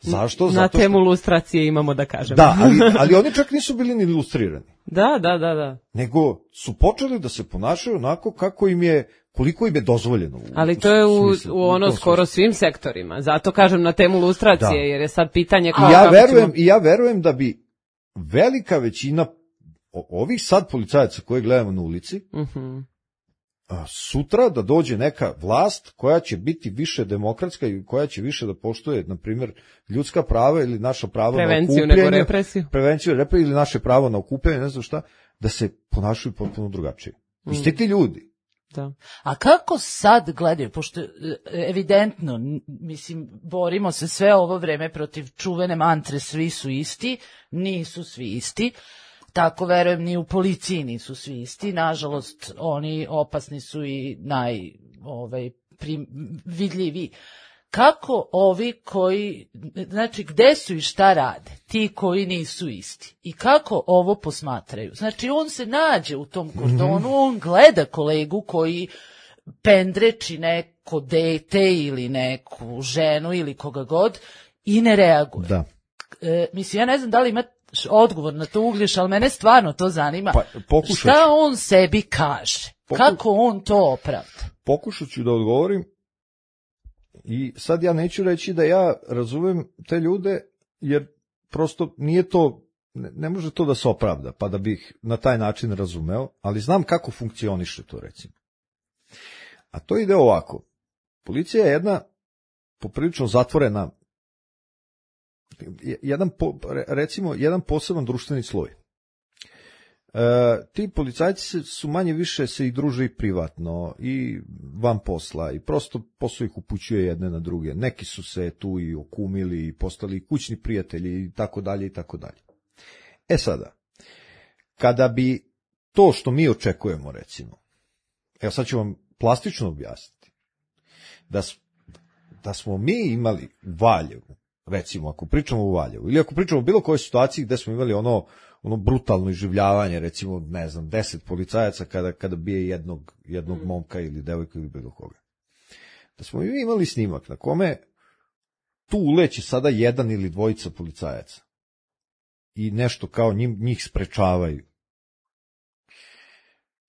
Zašto? Na Zato temu što... lustracije imamo da kažemo. Da, ali, ali oni čak nisu bili ni ilustrirani. Da, da, da, da. Nego su počeli da se ponašaju onako kako im je, koliko im je dozvoljeno. U, ali to je u, smislu, u ono skoro svim sektorima. Zato kažem na temu lustracije, da. Jer je sad pitanje kao... I ja, verujem, ćemo... I ja verujem da bi velika većina ovih sad policajaca koje gledamo na ulici, uh-huh. sutra da dođe neka vlast koja će biti više demokratska i koja će više da poštuje, na primjer, ljudska prava ili naša prava prevenciju na okupljanje. Nego represiju. Prevenciju represiju ili naše pravo na okupljanje, ne znam šta, da se ponašaju potpuno drugačije. Mm. Isti ti ljudi. Da. A kako sad gledaju, pošto evidentno, mislim, borimo se sve ovo vreme protiv čuvene mantre svi su isti, nisu svi isti. Tako verujem ni u policiji nisu svi isti, nažalost oni opasni su i naj ovaj, prim, vidljivi. Kako ovi koji, znači gde su i šta rade, ti koji nisu isti i kako ovo posmatraju? Znači on se nađe u tom kordonu, on gleda kolegu koji pendreči neko dete ili neku ženu ili koga god i ne reaguje. Da. E, mislim, ja ne znam da li ima odgovor na to, Uglješa, ali mene stvarno to zanima. Pa, šta on sebi kaže? Pokuš... Kako on to opravda? Pokušat ću da odgovorim i sad ja neću reći da ja razumem te ljude, jer prosto nije to, ne, ne može to da se opravda, pa da bih na taj način razumeo, ali znam kako funkcioniše to, recimo. A to ide ovako. Policija je jedna poprilično zatvorena, jedan, recimo, jedan poseban društveni sloj. E, ti policajci su manje više se i druže i privatno i van posla i prosto posao ih upućuje jedne na druge. Neki su se tu i okumili i postali kućni prijatelji i tako dalje i tako dalje. E sada, kada bi to što mi očekujemo, recimo, evo sad ću vam plastično objasniti, da, da smo mi imali u Valjevu, recimo, ako pričamo u Valjevu, ili ako pričamo o bilo kojoj situaciji gde smo imali ono, ono brutalno iživljavanje, recimo, ne znam, deset policajaca kada, kada bije jednog, jednog momka ili devojka ili bilo koga. Da smo mi imali snimak na kome tu uleće sada jedan ili dvojica policajaca i nešto kao njim, njih sprečavaju.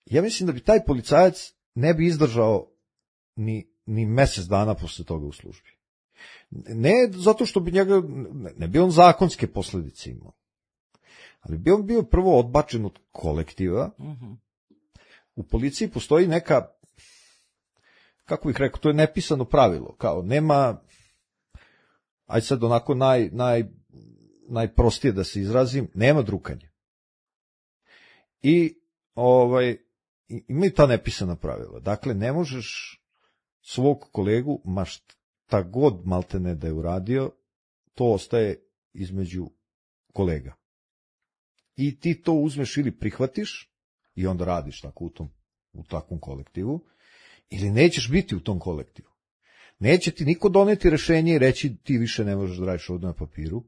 Ja mislim da bi taj policajac ne bi izdržao ni, ni mesec dana posle toga u službi. Ne zato što bi njega, ne bi on zakonske posledice imao, ali bi on bio prvo odbačen od kolektiva. Uh-huh. U policiji postoji neka, kako bih rekao, to je nepisano pravilo, kao nema, aj sad onako naj, naj, najprostije da se izrazim, nema drukanja. I ovaj, imaju ta nepisana pravila. Dakle, ne možeš svog kolegu, ma šta god maltene da je uradio, to ostaje između kolega. i ti to uzmeš ili prihvatiš i onda radiš tako u tom, u takvom kolektivu, ili nećeš biti u tom kolektivu. Neće ti niko doneti rešenje i reći ti više ne možeš da radiš ovdje na papiru,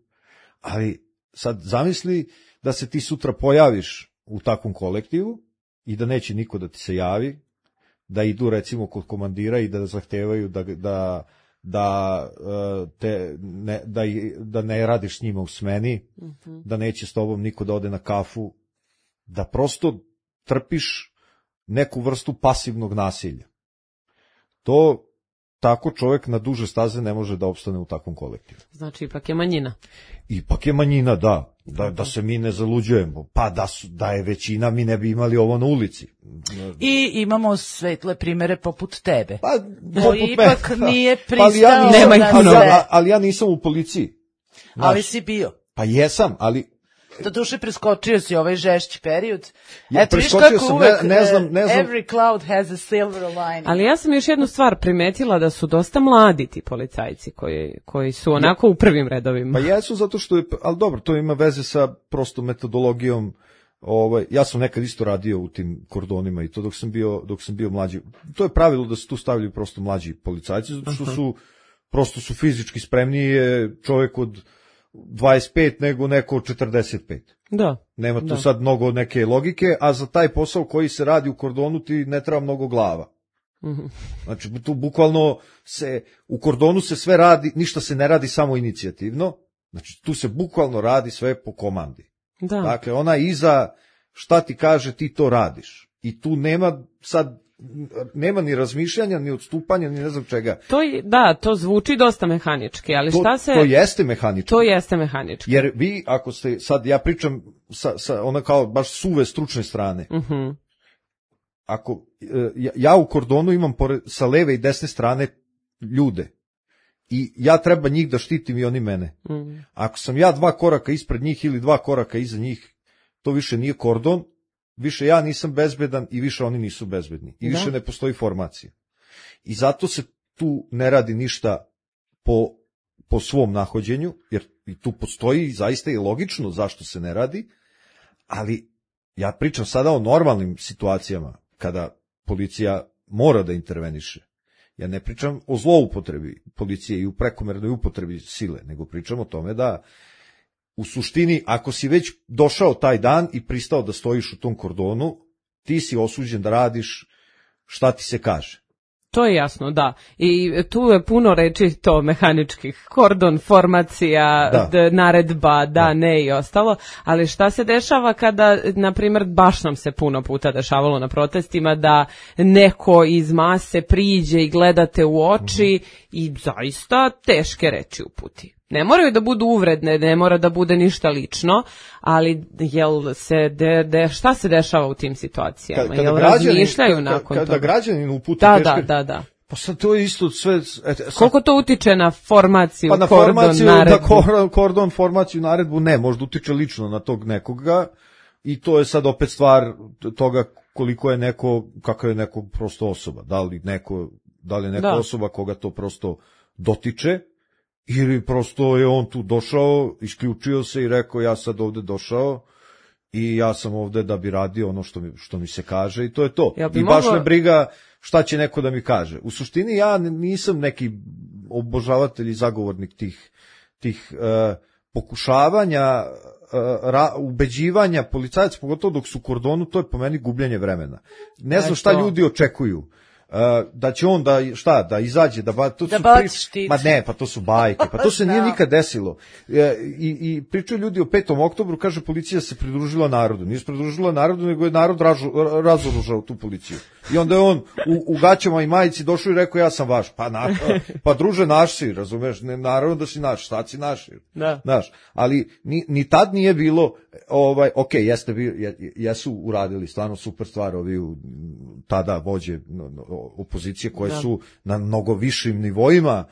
ali sad zamisli da se ti sutra pojaviš u takvom kolektivu i da neće niko da ti se javi, da idu recimo kod komandira i da zahtevaju da, da, da, te, ne, da, da ne radiš s njima u smeni, uh-huh. da neće s tobom niko da ode na kafu, da prosto trpiš neku vrstu pasivnog nasilja. To tako čovjek na duže staze ne može da opstane u takvom kolektivu. Znači, ipak je manjina. Ipak je manjina, da. Da, da se mi ne zaluđujemo. Pa da, su, da je većina, mi ne bi imali ovo na ulici. I imamo svetle primere poput tebe. Pa, koji ipak me, nije pristao pa, ja nisam, na ali, sve. Ja, ali ja nisam u policiji. Znaš, ali si bio. Pa jesam, ali... Doduše preskočio si ovaj žešći period. Ja, Eto, viš kako uvek, ne, ne znam, ne znam. Every cloud has a silver lining. Ali ja sam još jednu stvar primetila, da su dosta mladi ti policajci koji, koji su onako ja, u prvim redovima. Pa jesu zato što je, ali dobro, to ima veze sa prosto metodologijom. Ovaj, ja sam nekad isto radio u tim kordonima i to dok sam bio, dok sam bio mlađi. To je pravilo da se tu stavljaju prosto mlađi policajci, zato što su, prosto su fizički spremniji čovjek od dvadeset pet nego neko od četrdeset pet. Da. Nema tu da. sad mnogo neke logike, a za taj posao koji se radi u kordonu ti ne treba mnogo glava. Mm-hmm. Znači tu bukvalno se, u kordonu se sve radi, ništa se ne radi samo inicijativno, znači tu se bukvalno radi sve po komandi. Da. Dakle, ona iza šta ti kaže ti to radiš. I tu nema sad nema ni razmišljanja, ni odstupanja, ni ne znam čega. To je, da, to zvuči dosta mehanički, ali to, šta se... To jeste mehanički. To jeste mehanički. Jer vi, ako ste, sad ja pričam sa, sa ona kao baš suve stručne strane. Uh-huh. Ako, ja, ja u kordonu imam pored, sa leve i desne strane ljude. I ja treba njih da štitim i oni mene. Uh-huh. Ako sam ja dva koraka ispred njih ili dva koraka iza njih, to više nije kordon, više ja nisam bezbedan i više oni nisu bezbedni. I više da. Ne postoji formacija. I zato se tu ne radi ništa po, po svom nahođenju, jer i tu postoji zaista i logično zašto se ne radi, ali ja pričam sada o normalnim situacijama kada policija mora da interveniše. Ja ne pričam o zloupotrebi policije i u prekomernoj upotrebi sile, nego pričam o tome da u suštini, ako si već došao taj dan i pristao da stojiš u tom kordonu, ti si osuđen da radiš šta ti se kaže. To je jasno, da. I tu je puno reči to mehaničkih. Kordon, formacija, da. D, naredba, da, da, ne i ostalo. Ali šta se dešava kada, na primjer, baš nam se puno puta dešavalo na protestima, da neko iz mase priđe i gledate u oči mm-hmm. i zaista teške reči uputi. Ne moraju da budu uvredne, ne mora da bude ništa lično, ali jel se de, de, šta se dešava u tim situacijama? Kada, kada jel građanin, razmišljaju kada, nakon kada toga? Kada građanin uputi da, teške... Da, da, da. Pa sad to je isto sve... Et, sad, koliko to utiče na formaciju, pa na kordon, formaciju, naredbu? Na kordon, kordon, formaciju, naredbu, ne, možda utiče lično na tog nekoga i to je sad opet stvar toga koliko je neko, kako je neko prosto osoba. Da li neko, da li je neka da. osoba koga to prosto dotiče, ili prosto je on tu došao, isključio se i rekao ja sad ovde došao i ja sam ovde da bi radio ono što mi, što mi se kaže i to je to. I baš mogla... me briga šta će neko da mi kaže. U suštini ja nisam neki obožavatelj i zagovornik tih, tih uh, pokušavanja, uh, ra, ubeđivanja policajaca, pogotovo dok su u kordonu, to je po meni gubljenje vremena. Ne znam šta ljudi očekuju. Uh, da će on da šta da izađe da ba, to da su pri... ma ne pa to su bajke pa to se nije nikad desilo e, i i pričaju ljudi o petom oktobru, kaže policija se pridružila narodu, nije se pridružila narodu nego je narod ražu, razoružao tu policiju i onda je on u, u gaćama i majici došao i rekao ja sam vaš, pa na, pa druže naš si, razumeš, ne, naravno da si naš, šta si naš, da. Znaš, ali ni, ni tad nije bilo ovaj, ok, jeste bi, jesu uradili stvarno super stvar ovi u tada vođe opozicije koje da. su na mnogo višim nivoima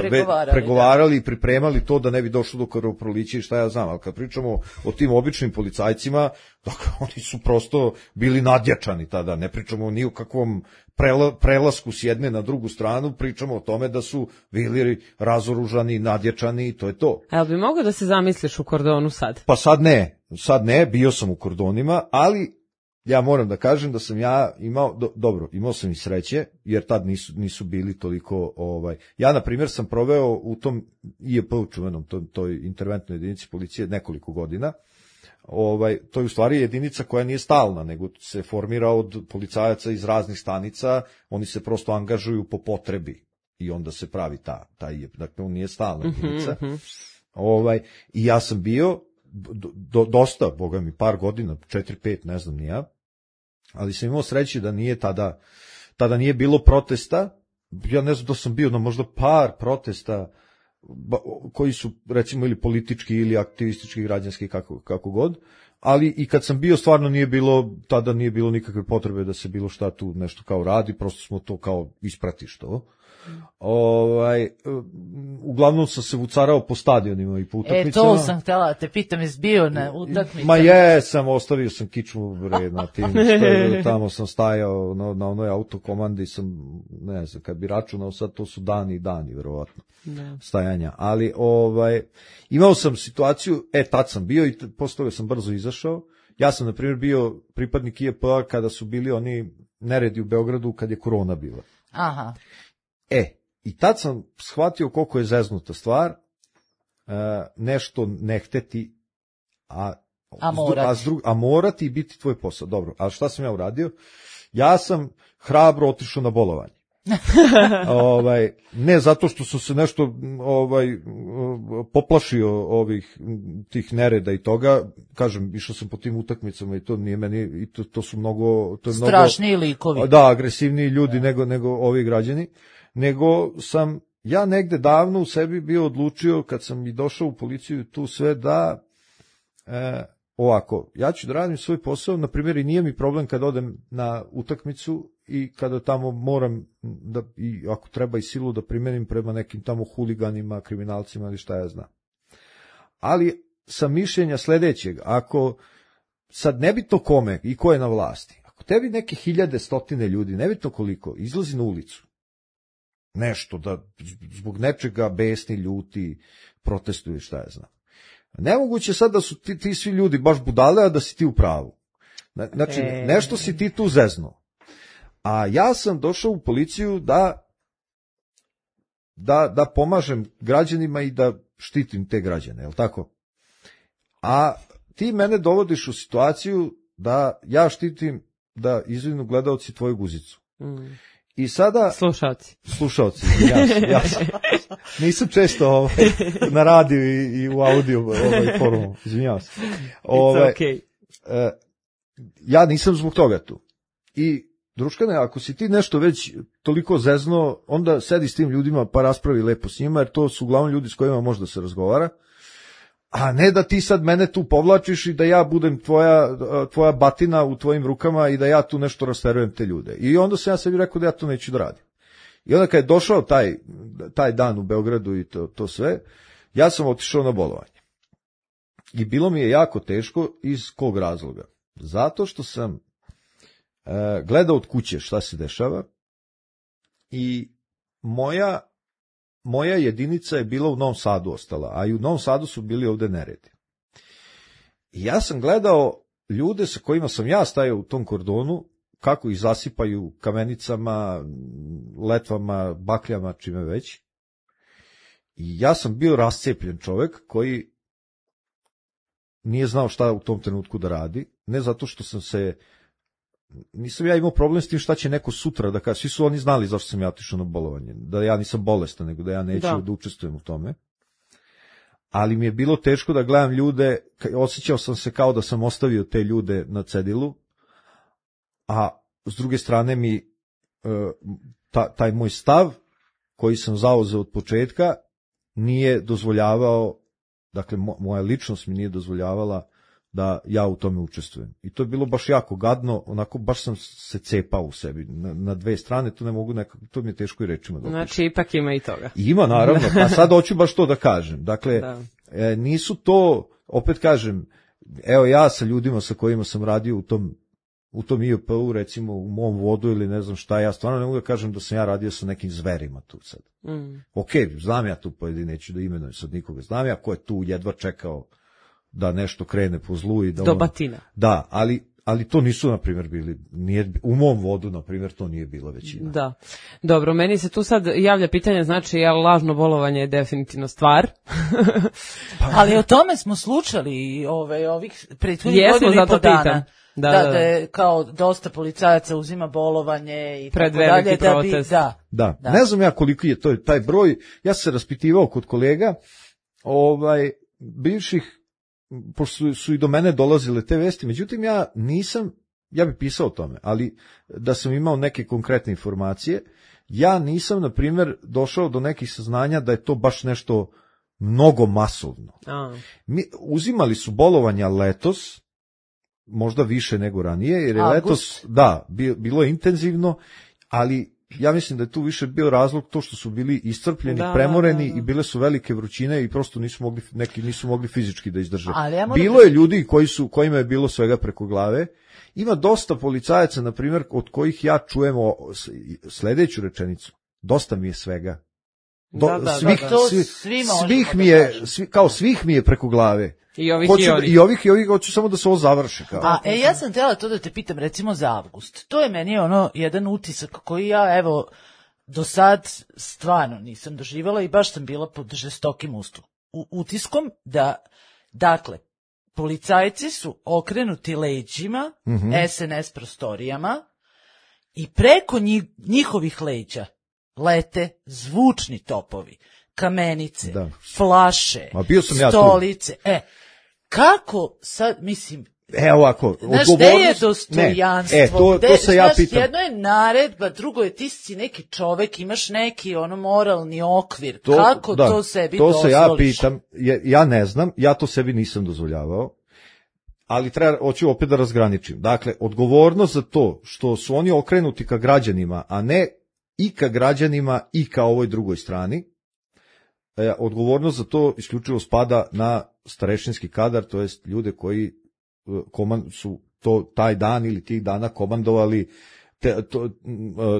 pregovarali, pregovarali i pripremali to da ne bi došlo do krvoprolića i šta ja znam, ali kad pričamo o tim običnim policajcima, dakle, oni su prosto bili nadjačani tada, ne pričamo ni o kakvom prela, prelasku s jedne na drugu stranu, pričamo o tome da su bili razoružani, nadjačani i to je to. A jel bi mogao da se zamisliš u kordonu sad? Pa sad ne, sad ne, bio sam u kordonima, ali ja moram da kažem da sam ja imao, do, dobro, imao sam i sreće, jer tad nisu, nisu bili toliko, ovaj, ja na primjer sam proveo u tom I E P čuvenom, toj, toj interventnoj jedinici policije nekoliko godina, ovaj, to je u stvari jedinica koja nije stalna, nego se formira od policajaca iz raznih stanica, oni se prosto angažuju po potrebi i onda se pravi ta, ta I E P, dakle on nije stalna jedinica, mm-hmm. ovaj, i ja sam bio, Do, dosta, boga mi, par godina, četiri, pet, ne znam ni ja, ali sam imao sreće da nije tada, tada nije bilo protesta, ja ne znam da sam bio na možda par protesta koji su, recimo, ili politički ili aktivistički, građanski, kako, kako god, ali i kad sam bio, stvarno nije bilo, tada nije bilo nikakve potrebe da se bilo šta tu nešto kao radi, prosto smo to kao ispratišto. Ovaj, uglavnom sam se vucarao po stadionima i po utakmicama. E, to sam htjela, te pitam, jesi bio na utakmicama? Ma jesam, ostavio sam kičmu bre, na tim, što, tamo sam stajao na, na onoj autokomandi, sam, ne znam, kad bi računao sad, to su dani i dani, verovatno, ne. Stajanja, ali ovaj, imao sam situaciju, e, tad sam bio i posle toga sam brzo izašao. Ja sam, na primjer, bio pripadnik I E P-a kada su bili oni neredi u Beogradu, kad je korona bila. Aha. E, i tad sam shvatio koliko je zeznuta stvar, e, nešto ne hteti, a, a, morati. A, zdru, a morati i biti tvoj posao. Dobro, ali šta sam ja uradio? Ja sam hrabro otišao na bolovanje. ovaj, ne zato što sam se nešto ovaj, poplašio ovih tih nereda i toga, kažem, išao sam po tim utakmicama i to nije meni, i to, to su mnogo... To je strašniji mnogo, likovi. Da, agresivniji ljudi nego, nego ovi građani. Nego sam ja negde davno u sebi bio odlučio, kad sam i došao u policiju tu sve, da e, ovako, ja ću da radim svoj posao, na primjer, i nije mi problem kad odem na utakmicu i kada tamo moram, da, i ako treba i silu da primenim prema nekim tamo huliganima, kriminalcima ili šta ja znam. Ali sam mišljenja sledećeg, ako sad nebitno kome i ko je na vlasti, ako tebi neke hiljade, stotine ljudi, nebitno koliko, izlazi na ulicu, nešto, da zbog nečega besni, ljuti, protestuju, šta ja znam. Nemoguće sad da su ti, ti svi ljudi baš budale, a da si ti u pravu. Znači, e... nešto si ti tu zeznuo. A ja sam došao u policiju da, da, da pomažem građanima i da štitim te građane, je li tako? A ti mene dovodiš u situaciju da ja štitim, da izvinu gledaoci tvoju guzicu. Mm. I sada... Slušalci. Slušalci, jasno, jasno. Nisam često ovaj, na radiju i, i u audio ovaj, forumu, izvinjavam se. Ovaj, okay. eh, ja nisam zbog toga tu. I, druškane, ako si ti nešto već toliko zezno, onda sedi s tim ljudima pa raspravi lepo s njima, jer to su uglavnom ljudi s kojima možda se razgovara. A ne da ti sad mene tu povlačiš i da ja budem tvoja, tvoja batina u tvojim rukama i da ja tu nešto rasterujem te ljude. I onda sam ja sebi rekao da ja to neću da radim. I onda kad je došao taj, taj dan u Beogradu i to, to sve, ja sam otišao na bolovanje. I bilo mi je jako teško, iz kog razloga? Zato što sam e, gledao od kuće šta se dešava i moja Moja jedinica je bila u Novom Sadu ostala, a i u Novom Sadu su bili ovde neredi. I ja sam gledao ljude sa kojima sam ja stajao u tom kordonu, kako ih zasipaju kamenicama, letvama, bakljama, čime već. I ja sam bio rascepljen čovek koji nije znao šta u tom trenutku da radi, ne zato što sam se... Nisam ja imao problem s tim šta će neko sutra da kaže. Svi su oni znali zašto sam ja otišao na bolovanje. Da ja nisam bolestan, nego da ja neću da, da učestvujem u tome. Ali mi je bilo teško da gledam ljude, osjećao sam se kao da sam ostavio te ljude na cedilu, a s druge strane mi ta, taj moj stav, koji sam zauzeo od početka, nije dozvoljavao, dakle moja ličnost mi nije dozvoljavala da ja u tome učestvujem. I to je bilo baš jako gadno, onako baš sam se cepao u sebi na, na dve strane, to ne mogu nekako, to mi je teško i rečima da opišem. Znači ipak ima i toga. Ima, naravno, pa sad hoću baš to da kažem. Dakle, da. E, nisu to, opet kažem, evo ja sa ljudima sa kojima sam radio u tom u tom I O P-u, recimo u mom vodu ili ne znam šta, ja stvarno ne mogu da kažem da sam ja radio sa nekim zverima tu sad. Mm. Ok, znam ja tu pojedine, neću da imenujem sad nikoga, znam ja ko je tu jedva čekao da nešto krene po zlu i da... Do on, batina. Da, ali, ali to nisu, na primjer, bili, nije, u mom vodu, na primjer, to nije bila većina. Da. Dobro, meni se tu sad javlja pitanje, znači, je lažno bolovanje je definitivno stvar. Pa, ali o tome smo slušali ove, ovih prethodnih godina i po dana. Da, da, da, da je kao dosta policajaca uzima bolovanje i pred tako dalje. Da bi, da, da. Da, ne znam ja koliko je to taj broj, ja sam se raspitivao kod kolega, ovaj, bivših, pošto su, su i do mene dolazile te vesti, međutim ja nisam, ja bih pisao o tome, ali da sam imao neke konkretne informacije, ja nisam, na primjer, došao do nekih saznanja da je to baš nešto mnogo masovno. A. Mi, uzimali su bolovanja letos, možda više nego ranije, jer je August. letos, da, bilo je intenzivno, ali ja mislim da je tu više bio razlog to što su bili iscrpljeni, da, premoreni da, da. I bile su velike vrućine i prosto nisu mogli, neki nisu mogli fizički da izdrže. Ja bilo je ljudi koji su, kojima je bilo svega preko glave. Ima dosta policajaca, na primjer, od kojih ja čujemo sledeću rečenicu. Dosta mi je svega. Do, da, da, svih, da, da. Svi, svih mi je, svi, kao svih mi je preko glave. I ovih hoću, i ovih. I ovih i ovih, hoću samo da se ovo završi. Kao. A, e, ja sam htjela to da te pitam, recimo za avgust. To je meni ono jedan utisak koji ja, evo, do sad stvarno nisam doživala i baš sam bila pod žestokim ustu. U, utiskom da, dakle, policajci su okrenuti leđima, mm-hmm. S N S prostorijama i preko njih, njihovih leđa lete zvučni topovi, kamenice, da. flaše, bio sam stolice. Ja e, kako sad, mislim, e, ovako, znaš, gde je dostojanstvo? Ne, e, to, gde, to se ja znaš, pitam. Jedno je naredba, drugo je ti si neki čovek, imaš neki ono moralni okvir. To, kako da, to sebi to dozvoliš? To se ja pitam, ja, ja ne znam, ja to sebi nisam dozvoljavao, ali treba, hoću opet da razgraničim. Dakle, odgovornost za to što su oni okrenuti ka građanima, a ne i ka građanima i ka ovoj drugoj strani, e, odgovornost za to isključivo spada na starešinski kadar, to jest ljude koji komand, su to taj dan ili tih dana komandovali te, to,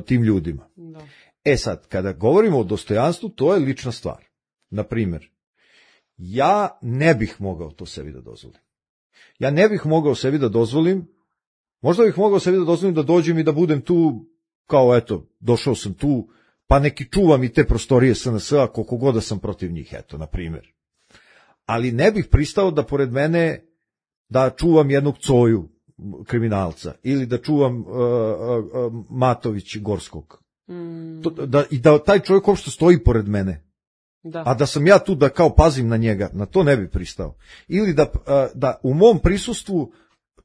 tim ljudima. Da. E sad, kada govorimo o dostojanstvu, to je lična stvar. Na primjer, ja ne bih mogao to sebi da dozvolim. Ja ne bih mogao sebi da dozvolim, možda bih mogao sebi da dozvolim da dođem i da budem tu, kao eto, došao sam tu, pa neki čuvam i te prostorije S N S-a, koliko god da sam protiv njih, eto, na primjer. Ali ne bih pristao da pored mene da čuvam jednog coju kriminalca ili da čuvam uh, uh, Matović Gorskog. Mm. To, da, I da taj čovjek uopšte stoji pored mene. Da. A da sam ja tu da kao pazim na njega, na to ne bi pristao. Ili da, uh, da u mom prisustvu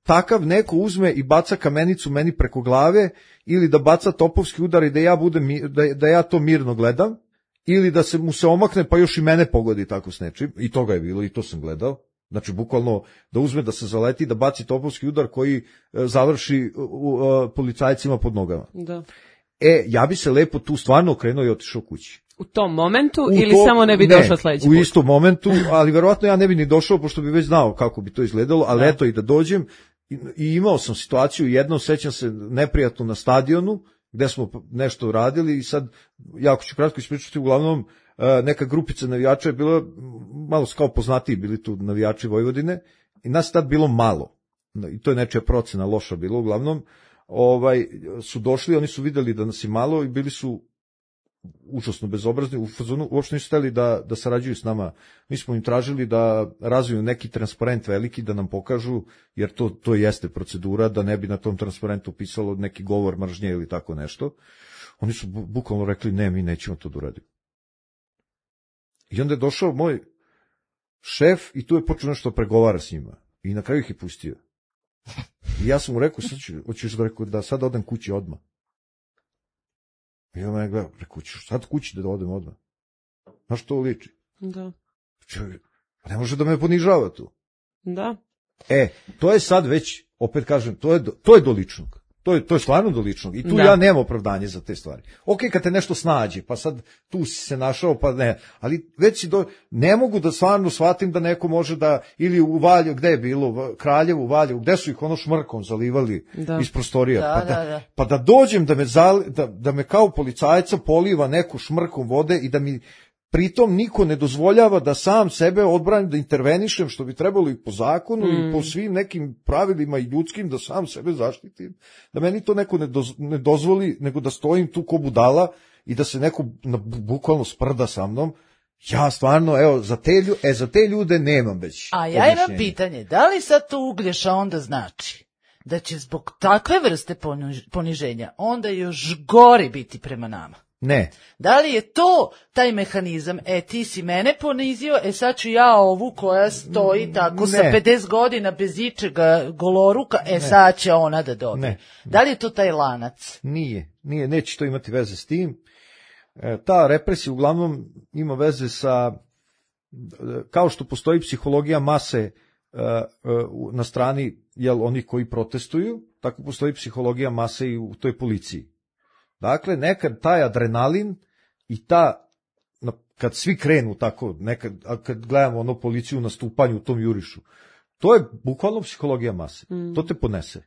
takav neko uzme i baca kamenicu meni preko glave ili da baca topovski udar i da ja, budem, da, da ja to mirno gledam ili da se mu se omakne pa još i mene pogodi tako s nečim. I toga je bilo i to sam gledao. Znači, bukvalno da uzme da se zaleti, da baci topovski udar koji završi u, u, u, policajcima pod nogama. Da. E, ja bi se lepo tu stvarno okrenuo i otišao kući. U tom momentu u ili to, samo ne bi ne, došao sledeći u put? istom momentu, ali verovatno ja ne bi ni došao, pošto bi već znao kako bi to izgledalo, ali da. Eto i da dođem. I, i imao sam situaciju, jednom sećam se neprijatno na stadionu, gde smo nešto radili i sad, jako ću kratko ispričati, uglavnom, neka grupica navijača je bila, malo kao poznatiji bili tu navijači Vojvodine, i nas tad bilo malo, i to je nečija procena loša bila, uglavnom, ovaj, su došli, oni su videli da nas je malo i bili su užasno bezobrazni, u fazonu uopšte nisu hteli da, da sarađuju s nama. Mi smo im tražili da razviju neki transparent veliki, da nam pokažu, jer to, to jeste procedura, da ne bi na tom transparentu pisalo neki govor mržnje ili tako nešto. Oni su bukvalno rekli, ne, mi nećemo to da uradimo. I onda je došao moj šef i tu je počeo nešto pregovara s njima. I na kraju ih je pustio. I ja sam mu rekao, sad ću, hoćeš da, rekao, da sad odem kući odmah. I on me gleda, rekao, ćeš sad kući da odem odmah. Znaš što liči? Da. Čovjek, ne može da me ponižava tu. Da. E, to je sad već, opet kažem, to je, to je do ličnog. To je, to je stvarno do ličnog. I tu da. Ja nemam opravdanje za te stvari. Ok, kad te nešto snađe, pa sad tu si se našao, pa ne. Ali već si do... Ne mogu da stvarno shvatim da neko može da... Ili u Valjevu, gde je bilo? U Kraljevu, u Valjevu, gde su ih ono šmrkom zalivali da. Iz prostorija? Da, pa, da, da, da. pa da dođem da me, zali, da, da me kao policajca poliva neku šmrkom vode i da mi... Pritom niko ne dozvoljava da sam sebe odbranim, da intervenišem, što bi trebalo i po zakonu mm. i po svim nekim pravilima i ljudskim, da sam sebe zaštitim. Da meni to neko ne, doz, ne dozvoli, nego da stojim tu ko budala i da se neko na, bukvalno sprda sa mnom. Ja stvarno, evo, za te, e, za te ljude nemam već. A ja imam pitanje, da li sad to Uglješa onda znači da će zbog takve vrste poniženja onda još gori biti prema nama? Ne. Da li je to taj mehanizam, e ti si mene ponizio, e sad ću ja ovu koja stoji tako ne. Sa pedeset godina bez ičega goloruka, e ne. Sad će ona da dobije. Ne. Da li je to taj lanac? Nije, nije, neće to imati veze s tim. E, ta represija uglavnom ima veze sa, kao što postoji psihologija mase e, e, na strani jel, onih koji protestuju, tako postoji psihologija mase i u toj policiji. Dakle, nekad taj adrenalin i ta, kad svi krenu tako, nekad, kad gledamo ono policiju na stupanju u tom jurišu, to je bukvalno psihologija mase. Mm. To te ponese.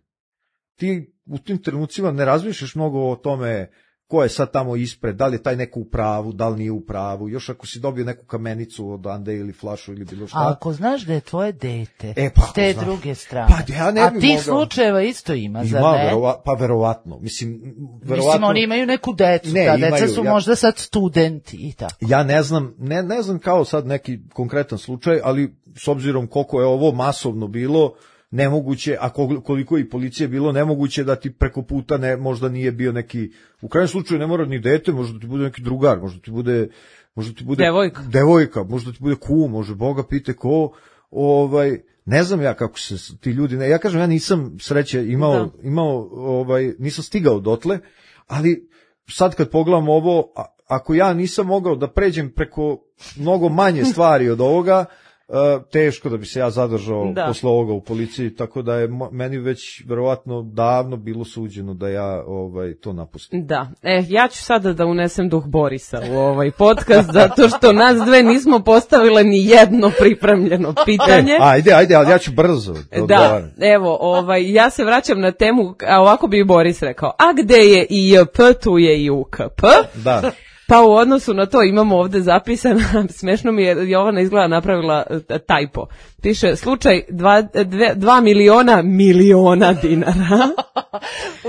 Ti u tim trenucima ne razmišljaš mnogo o tome ko je sad tamo ispred, da li je taj neko u pravu, da li nije u pravu, još ako si dobio neku kamenicu od Ande ili flašu ili bilo šta. A ako znaš da je tvoje dete, e, pa, s te znaš. Druge strane, pa, ja ne a bi tih mogao. Slučajeva isto ima, ima zar ne? Verova, pa verovatno. Mislim, verovatno, Mislim, oni imaju neku decu, ne, ta imaju, deca su ja, možda sad studenti i tako. Ja ne znam, ne, ne znam kao sad neki konkretan slučaj, ali s obzirom koliko je ovo masovno bilo, nemoguće, a koliko i policije bilo, nemoguće da ti preko puta ne, možda nije bio neki, u krajnjem slučaju ne mora ni dete, možda ti bude neki drugar, možda ti bude, možda ti bude devojka, devojka možda ti bude kum, može Boga pite ko, ovaj, ne znam ja kako se ti ljudi, ne, ja kažem, ja nisam sreće imao, da. imao, ovaj, nisam stigao dotle, ali sad kad pogledam ovo, a, ako ja nisam mogao da pređem preko mnogo manje stvari od ovoga, Uh, teško da bi se ja zadržao da. Posle ovoga u policiji, tako da je meni već verovatno davno bilo suđeno da ja ovaj to napustim. Da, e, ja ću sada da unesem duh Borisa u ovaj podcast, zato što nas dve nismo postavile ni jedno pripremljeno pitanje. E, ajde, ajde, ali ja ću brzo. Da, da evo, ovaj, ja se vraćam na temu, a ovako bi Boris rekao, a gde je I J P, tu je i U K P. Da. Pa u odnosu na to imamo ovde zapisano, smešno mi je, Jovana izgleda napravila tajpo. Piše, slučaj dva, dve, dva miliona miliona dinara.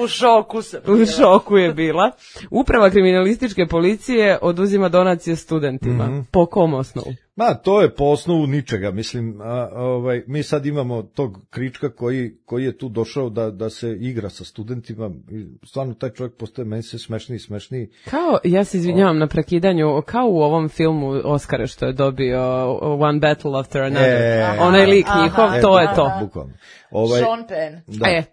U šoku sam. U šoku je bila. Uprava kriminalističke policije oduzima donacije studentima. Mm-hmm. Po kom osnovu? Ma, to je po osnovu ničega. Mislim, a, ovaj, mi sad imamo tog Krička koji, koji je tu došao da, da se igra sa studentima. I stvarno taj čovjek postaje meni se smešniji i smešniji. Kao, ja se izvinjavam o... na prekidanju, kao u ovom filmu Oscara što je dobio One Battle After Another. E, onaj lik njihov, e, to e, je to. Bukvalno. Ovaj, Sean Penn. Da. E.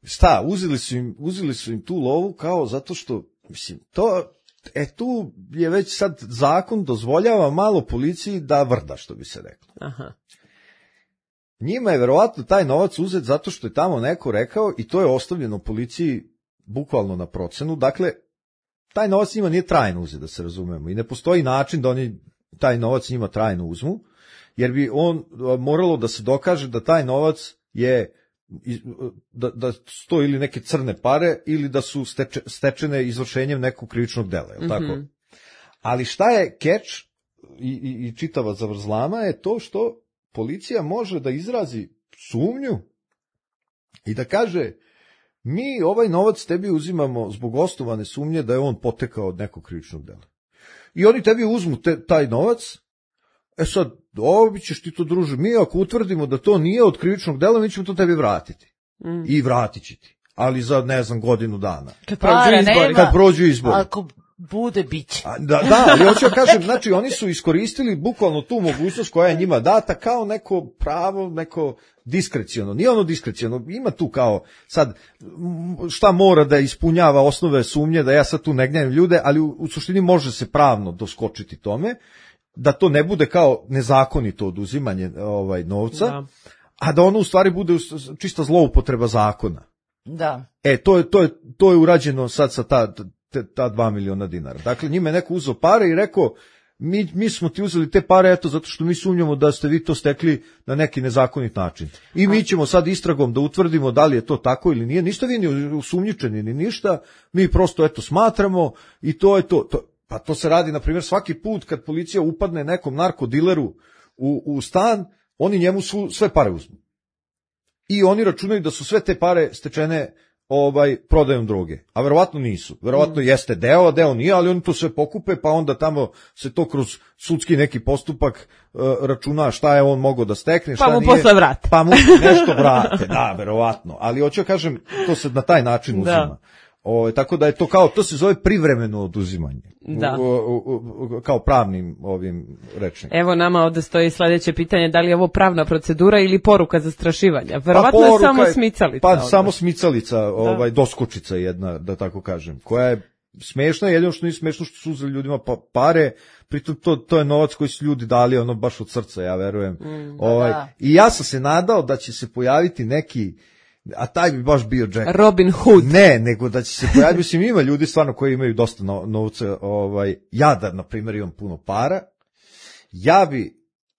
Šta, uzeli su im, uzeli su im tu lovu kao zato što, mislim, to... E tu je već sad zakon dozvoljava malo policiji da vrda, što bi se reklo. Aha. Njima je verovatno taj novac uzet zato što je tamo neko rekao i to je ostavljeno policiji bukvalno na procenu. Dakle, taj novac njima nije trajno uzet, da se razumemo. I ne postoji način da oni taj novac njima trajno uzmu, jer bi on moralo da se dokaže da taj novac je Da, da sto ili neke crne pare ili da su steče, stečene izvršenjem nekog krivičnog dela, je li tako? Mm-hmm. Ali šta je keč i, i, i čitava zavrzlama je to što policija može da izrazi sumnju i da kaže mi ovaj novac tebi uzimamo zbog osnovane sumnje da je on potekao od nekog krivičnog dela. I oni tebi uzmu te, taj novac. E sad, ovo ćeš ti to, druže, mi ako utvrdimo da to nije od krivičnog dela, mi ćemo to tebi vratiti. Mm. I vratit će ti. Ali za, ne znam, godinu dana. Kad prođu izbori. Kad prođu izbori. Ako bude, bit će. Da, da, ali hoću da kažem, znači, oni su iskoristili bukvalno tu mogućnost koja je njima data kao neko pravo, neko diskreciono. Nije ono diskreciono, ima tu kao, sad, šta mora da ispunjava osnove sumnje, da ja sad tu ne gnjavim ljude, ali u, u suštini može se pravno doskočiti tome, da to ne bude kao nezakonito oduzimanje ovaj novca, da. a da ono u stvari bude čista zloupotreba zakona. Da. E, to je, to je, to je urađeno sad sa ta, ta, ta dva miliona dinara. Dakle, njima je neko uzeo pare i rekao, mi, mi smo ti uzeli te pare, eto, zato što mi sumnjamo da ste vi to stekli na neki nezakonit način. I mi ćemo sad istragom da utvrdimo da li je to tako ili nije. Ništa vi ni usumnjičeni ni ništa, mi prosto, eto, smatramo i to je to. to pa to se radi, na primjer, svaki put kad policija upadne nekom narkodileru u, u stan, oni njemu su sve pare uzmu. I oni računaju da su sve te pare stečene ovaj prodajom droge, a verovatno nisu. Verovatno mm. jeste deo, a deo nije, ali oni to sve pokupe, pa onda tamo se to kroz sudski neki postupak uh, računa šta je on mogao da stekne, šta pa mu nije. posle vrate. Pa mu nešto vrate, da, verovatno. Ali hoću da kažem, to se na taj način uzima. Da. O, tako da je to kao, to se zove privremeno oduzimanje. Da. U, u, u, kao pravnim ovim rečnikom. Evo nama ovde stoji sledeće pitanje, da li je ovo pravna procedura ili poruka zastrašivanja? Verovatno pa je samo smicalica. Pa ovdje. samo smicalica, ovaj, doskočica jedna, da tako kažem, koja je smešna, jedino što nije smešno što su uzeli ljudima pa, pare, pritom to, to je novac koji su ljudi dali ono baš od srca, ja verujem. Mm, ovaj, da. I ja sam se nadao da će se pojaviti neki, a taj bi baš bio Jack. Robin Hood. Ne, nego da će se pojaviti, mislim, ima ljudi stvarno koji imaju dosta no, novca, ovaj, ja da, na primjer, imam puno para, ja bi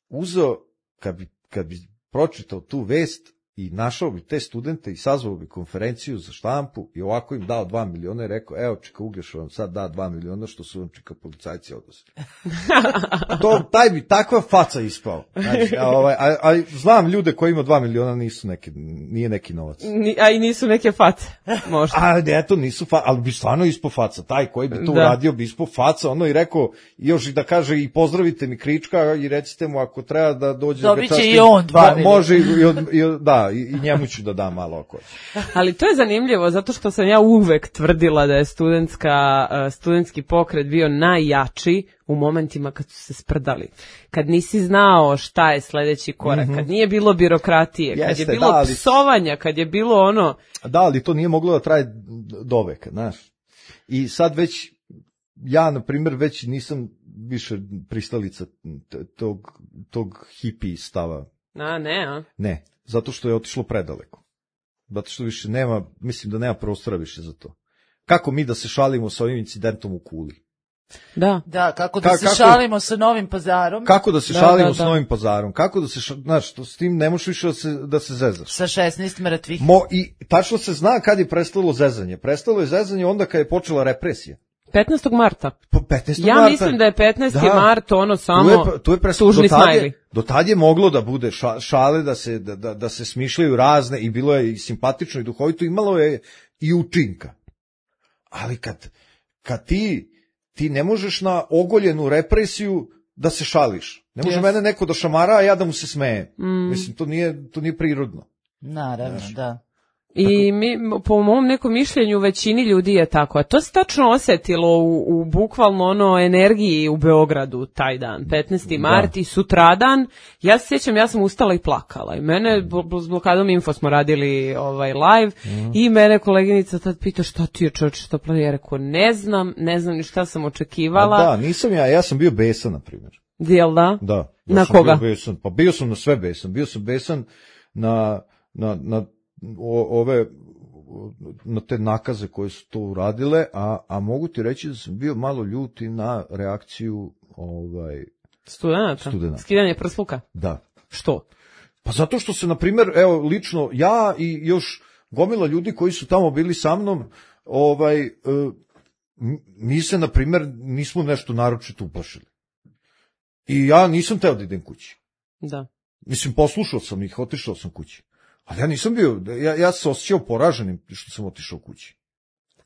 uzeo, kad bi, kad bi pročitao tu vest i našao bi te studente i sazvao bi konferenciju za štampu i ovako im dao dva miliona i rekao, evo, čeka Uglješa vam sad da dva miliona što su vam čeka policajci odnosi. To, taj bi takva faca ispao. Znači, a, ovaj, a, a znam ljude koji ima dva miliona nisu neki, nije neki novac. Ni, a i nisu neke face, možda. A eto, nisu faca, ali bi stvarno ispao faca. Taj koji bi to da. uradio bi ispao faca, ono i rekao, još i da kaže i pozdravite mi Krička i recite mu ako treba da dođe. Dobit će i on dva miliona. Može i, i, i, da, i njemu ću da dam malo ako će. Ali to je zanimljivo, zato što sam ja uvek tvrdila da je studentska, studentski pokret bio najjači u momentima kad su se sprdali. Kad nisi znao šta je sledeći korak, mm-hmm. kad nije bilo birokratije, Jeste, kad je bilo da, ali... psovanja, kad je bilo ono... Da, ali to nije moglo da traje doveka, znaš. I sad već, ja, na primjer, već nisam više pristalica tog, tog hippie stava. A, ne, a? Ne. Zato što je otišlo predaleko. Zato što više nema, mislim da nema prostora više za to. Kako mi da se šalimo sa ovim incidentom u Kuli? Da. Da, kako da Ka, se kako, šalimo sa Novim Pazarom? Kako da se da, šalimo da, sa da. Novim Pazarom? Kako da se, ša, znaš, to, s tim ne možeš više da se, da se zezaš. Sa šesnaest mrtvih. Mo, I tačno se zna kad je prestalo zezanje. Prestalo je zezanje onda kad je počela represija. petnaestog marta. petnaestog Ja marta. mislim da je petnaesti da. mart ono samo tu je, tu je pres... tužni smajli. Do tad je moglo da bude ša, šale, da se, da, da, da se smišljaju razne i bilo je i simpatično i duhovito, imalo je i učinka. Ali kad, kad ti, ti ne možeš na ogoljenu represiju da se šališ. Ne može yes. mene neko da šamara, a ja da mu se smeje. Mm. Mislim, to nije, to nije prirodno. Naravno, Znaš. da. I mi, po mom nekom mišljenju, većini ljudi je tako. A to se tačno osetilo u, u bukvalno ono energiji u Beogradu taj dan, petnaesti mart i sutradan. Ja se sjećam, ja sam ustala i plakala. I mene, s blokadom Info smo radili ovaj live mm. i mene koleginica tad pita šta ti je čovječ, što plavi. Ja rekao, ne znam, ne znam ni šta sam očekivala. A da, nisam ja, ja sam bio besan, na primjer. Jel da? Da. Ja na sam koga? Bio besan. Pa bio sam na sve besan. Bio sam besan na, na, na O, ove na te nakaze koje su to uradile, a, a mogu ti reći da sam bio malo ljuti na reakciju ovaj studenata. Studenata. Skidanje prsluka. Da. Što? Pa zato što se, na primjer, evo, lično ja i još gomila ljudi koji su tamo bili sa mnom, ovaj, mi se, na primjer, nismo nešto naročito uplašili. I ja nisam teo da idem kući. Da. Mislim, poslušao sam ih, otišao sam kući. Ali ja nisam bio, ja, ja se osjećao poraženim što sam otišao kući.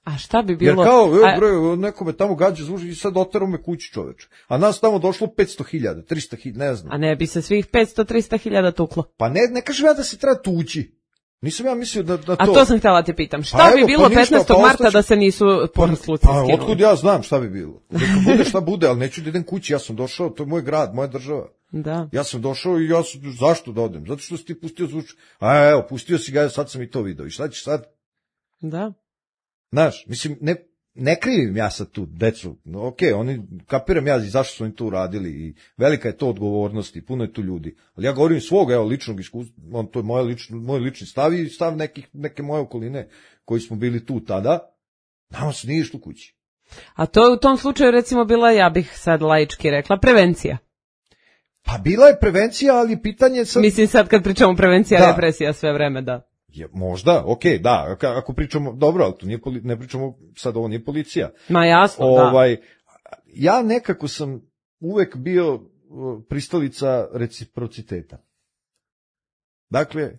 A šta bi bilo? Jer kao, evo bre, neko me tamo gađa zvuži i sad oterao me kući, čoveče. A nas tamo došlo petsto hiljada, trista hiljada, ne znam. A ne bi se svih petsto do trista hiljada tuklo? Pa ne, ne kažem ja da se treba tući. Nisam ja mislio da, da to... A to sam htjela te pitam. Šta pa bi evo, bilo pa ništa, petnaestog pa marta ostaću... da se nisu prsluci pa, skinuli? Pa otkud ja znam šta bi bilo. Neka bude šta bude, ali neću da idem kući, ja sam došao, to je moj grad, moja država. Da. Ja sam došao i ja sam, zašto da odem? Zato što si ti pustio zvuč. A evo, pustio si ga, sad sam i to video. I šta ćeš sad? Da. Znaš, mislim, ne, ne krivim ja sad tu decu, no, ok, oni, kapiram ja zašto su oni to uradili i velika je to odgovornost i puno je tu ljudi, ali ja govorim svog, evo, ličnog iskustva, on, to je moje lično, moj lični stav i stav nekih, neke moje okoline koji smo bili tu tada, nama se nije išlo kući. A to je u tom slučaju recimo bila, ja bih sad laički rekla, prevencija. Pa bila je prevencija, ali pitanje sad... Mislim sad kad pričamo prevencija, da. Represija sve vreme, da. Je, možda, ok, da, ako pričamo, dobro, ali to nije, ne pričamo, sad ovo nije policija. Ma jasno, ovaj, da. Ja nekako sam uvek bio pristalica reciprociteta. Dakle,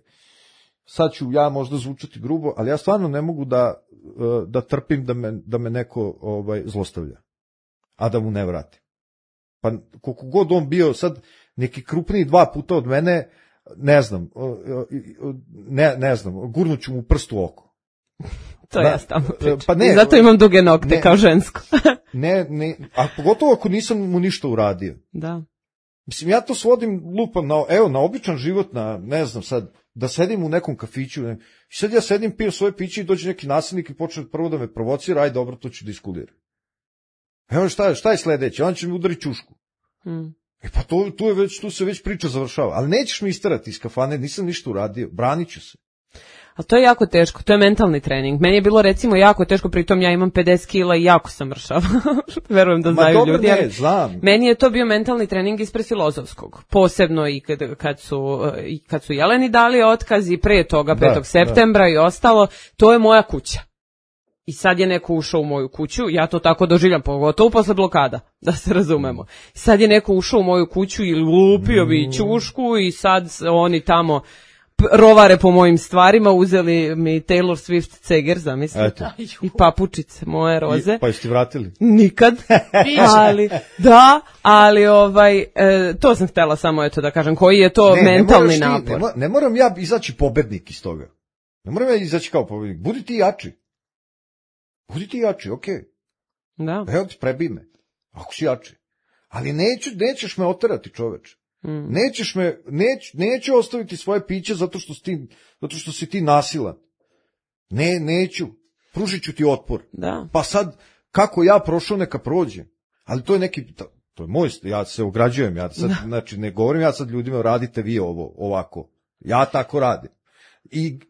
sad ću ja možda zvučati grubo, ali ja stvarno ne mogu da, da trpim da me, da me neko ovaj, zlostavlja, a da mu ne vrati. Pa koliko god on bio sad neki krupniji dva puta od mene, ne znam, ne, ne znam, gurnuću mu prst u oko. To da, ja stalno pričam. Pa ne, i zato imam duge nokte ne, kao žensko. ne, ne, a pogotovo ako nisam mu ništa uradio. Da. Mislim, ja to svodim, lupam, na, evo, na običan život, na, ne znam sad, da sedim u nekom kafiću, ne, i sad ja sedim, pijem svoje piće i dođe neki nasilnik i počne prvo da me provocira, aj dobro, to ću da iskuliram. Evo šta, šta je sledeće, on će mi udariti čušku. Hmm. E pa to, tu, je već, tu se već priča završava, ali nećeš mi istarati iz kafane, nisam ništa uradio, branit ću se. Ali to je jako teško, to je mentalni trening. Meni je bilo recimo jako teško, pritom ja imam pedeset kila i jako sam mršava. Verujem da znaju dobro, ljudi. Ne, znam. Meni je to bio mentalni trening ispred Filozofskog. Posebno i kad, kad, su, i kad su Jeleni dali otkaz i pre toga, da, petog septembra da. I ostalo, to je moja kuća. I sad je neko ušao u moju kuću, ja to tako doživljam, pogotovo posle blokada, da se razumemo. Sad je neko ušao u moju kuću i lupio bi ćušku i sad oni tamo rovare po mojim stvarima, uzeli mi Taylor Swift ceger, zamislite, i papučice moje roze. I, pa jeste vratili? Nikad, ali, da, ali ovaj, e, to sam htjela samo eto da kažem, koji je to ne, mentalni ne napor. Ti, ne, ne moram ja izaći pobednik iz toga, ne moram ja izaći kao pobednik, budi ti jači, budi ti jači, okej, okay. Da. Evo ti prebi me, ako si jači, ali neću, nećeš me oterati, čoveče. Mm. Nećeš me, neć, neću ostaviti svoje piće zato što si ti, zato što si ti nasilan. Ne, neću. Pružit ću ti otpor. Da. Pa sad, kako ja prošao, neka prođe. Ali to je neki, to je moj, ja se ograđujem, ja sad, znači ne govorim ja sad ljudima radite vi ovo, ovako. Ja tako radim. I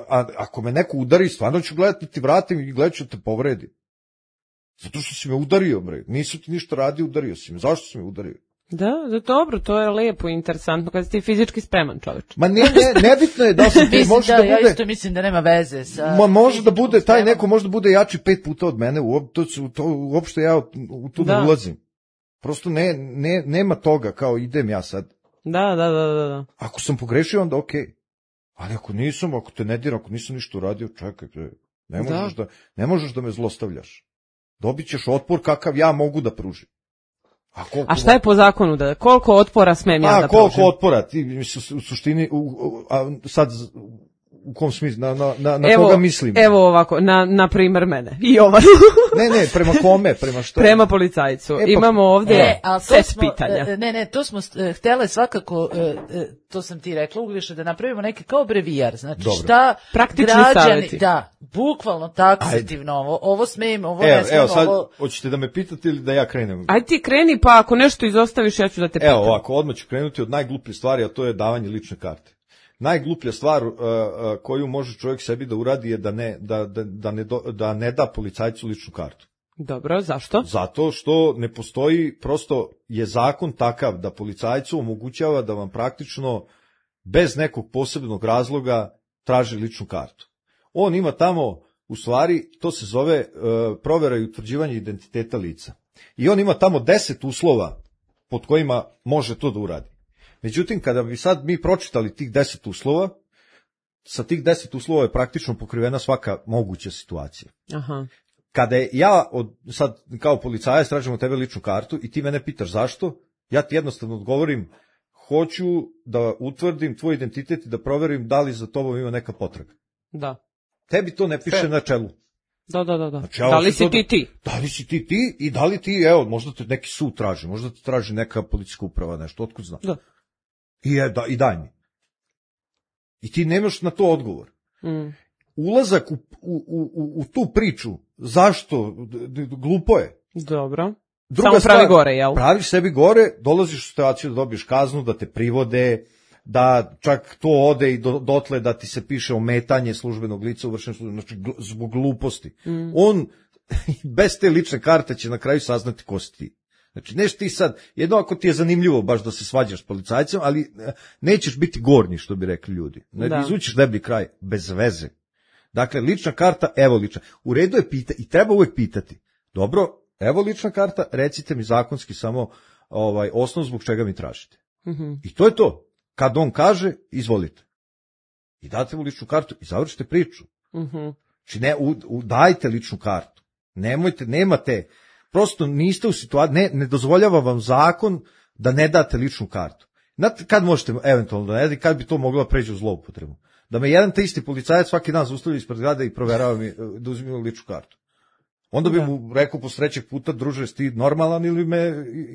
a, ako me neko udari, stvarno ću gledati ti vratim i gledat ću te povredim. Zato što si me udario, bre. Nisu ti ništa radio, udario si me. Zašto si me udario? Da, da, dobro, to je lepo i interesantno kad si ti fizički spreman čoveč. Ma ne, ne, nebitno je da se ti može da, da bude... Ja isto mislim da nema veze sa... Ma može da bude, taj neko može da bude jači pet puta od mene, u, to, to, uopšte ja u to da. ne ulazim. Prosto ne, ne, nema toga, kao idem ja sad. Da, da, da, da. da. Ako sam pogrešio, onda okej. Okay. Ali ako nisam, ako te ne diram, ako nisam ništa uradio, čekaj, ne možeš da, da, ne možeš da me zlostavljaš. Dobit ćeš otpor kakav ja mogu da pružim. A, a šta je po zakonu da koliko otpora smem ja a, da koliko pružim? otpora ti u suštini u, a sad u kom smislu na na na, na koga mislim? Evo ovako, na na primer mene. I ovaj. ne, ne, prema kome, prema šta? Prema policajcu. E, pa, Imamo ovdje e, set smo, pitanja. Ne, ne, to smo htjele svakako, to sam ti rekla, Uglješa, da napravimo neki kao brevijar. Znači dobro. Šta praktični građani, savjeti. Da, bukvalno taksativno ovo, ovo smijem, ovo evo, ne smijem, evo, sad, ovo... hoćete da me pitate ili da ja krenem? Ajde ti kreni, pa ako nešto izostaviš, ja ću da te pitam. Evo ovako, odmah ću krenuti od najgluplje stvari, a to je davanje lične karte. Najgluplja stvar uh, uh, koju može čovjek sebi da uradi je da ne, da, da, da, ne, do, da ne da policajcu ličnu kartu. Dobro, zašto? Zato što ne postoji, prosto je zakon takav da policajcu omogućava da vam praktično bez nekog posebnog razloga traži ličnu kartu. On ima tamo, u stvari, to se zove uh, provera i utvrđivanje identiteta lica. I on ima tamo deset uslova pod kojima može to da uradi. Međutim, kada bi sad mi pročitali tih deset uslova, sa tih deset uslova je praktično pokrivena svaka moguća situacija. Aha. Kada je ja od, sad kao policajac tražim od tebe ličnu kartu i ti mene pitaš zašto, ja ti jednostavno odgovorim, hoću da utvrdim tvoj identitet i da proverim da li za tobom ima neka potraga. Da. Tebi to ne piše Fe. na čelu. Da, da, da. da. Znači, da li si to, ti ti? Da li si ti ti i da li ti, evo, možda te neki sud traži, možda te traži neka policijska uprava, nešto, otkud znam. Da. I, je, da, i daj mi. I ti nemaš na to odgovor. Mm. Ulazak u, u, u, u tu priču Zašto? D- d- glupo je. Dobro. Druga Samo pravi stvar, gore, jel? Praviš sebi gore, dolaziš u situaciju da dobiješ kaznu, da te privode, da čak to ode i do, dotle da ti se piše ometanje službenog lica u vršenju službenog, znači gl- zbog gluposti. Mm. On bez te lične karte će na kraju saznati ko si ti. Znači, neš ti sad, jedno ako ti je zanimljivo baš da se svađaš s policajcem, ali nećeš biti gornji, što bi rekli ljudi. Ne, da. Izvučiš deblji kraj, bez veze. Dakle, lična karta, evo lična. U redu je pita i treba uvek pitati. Dobro, evo lična karta, recite mi zakonski samo ovaj osnov zbog čega mi tražite. Mm-hmm. I to je to. Kad on kaže, izvolite. I date mu ličnu kartu i završite priču. Mm-hmm. Znači, ne, u, u, dajte ličnu kartu. Nemojte, nemate, prosto niste u situaciji, ne, ne dozvoljava vam zakon da ne date ličnu kartu. Znate, kad možete eventualno da ne date, kad bi to moglo preći u zloupotrebu? Da me jedan te isti policajac svaki dan zaustavlja ispred zgrade i proverava mi da uzmi ličnu kartu. Onda bi da. mu rekao posle trećeg puta, druže, si ti normalan ili me,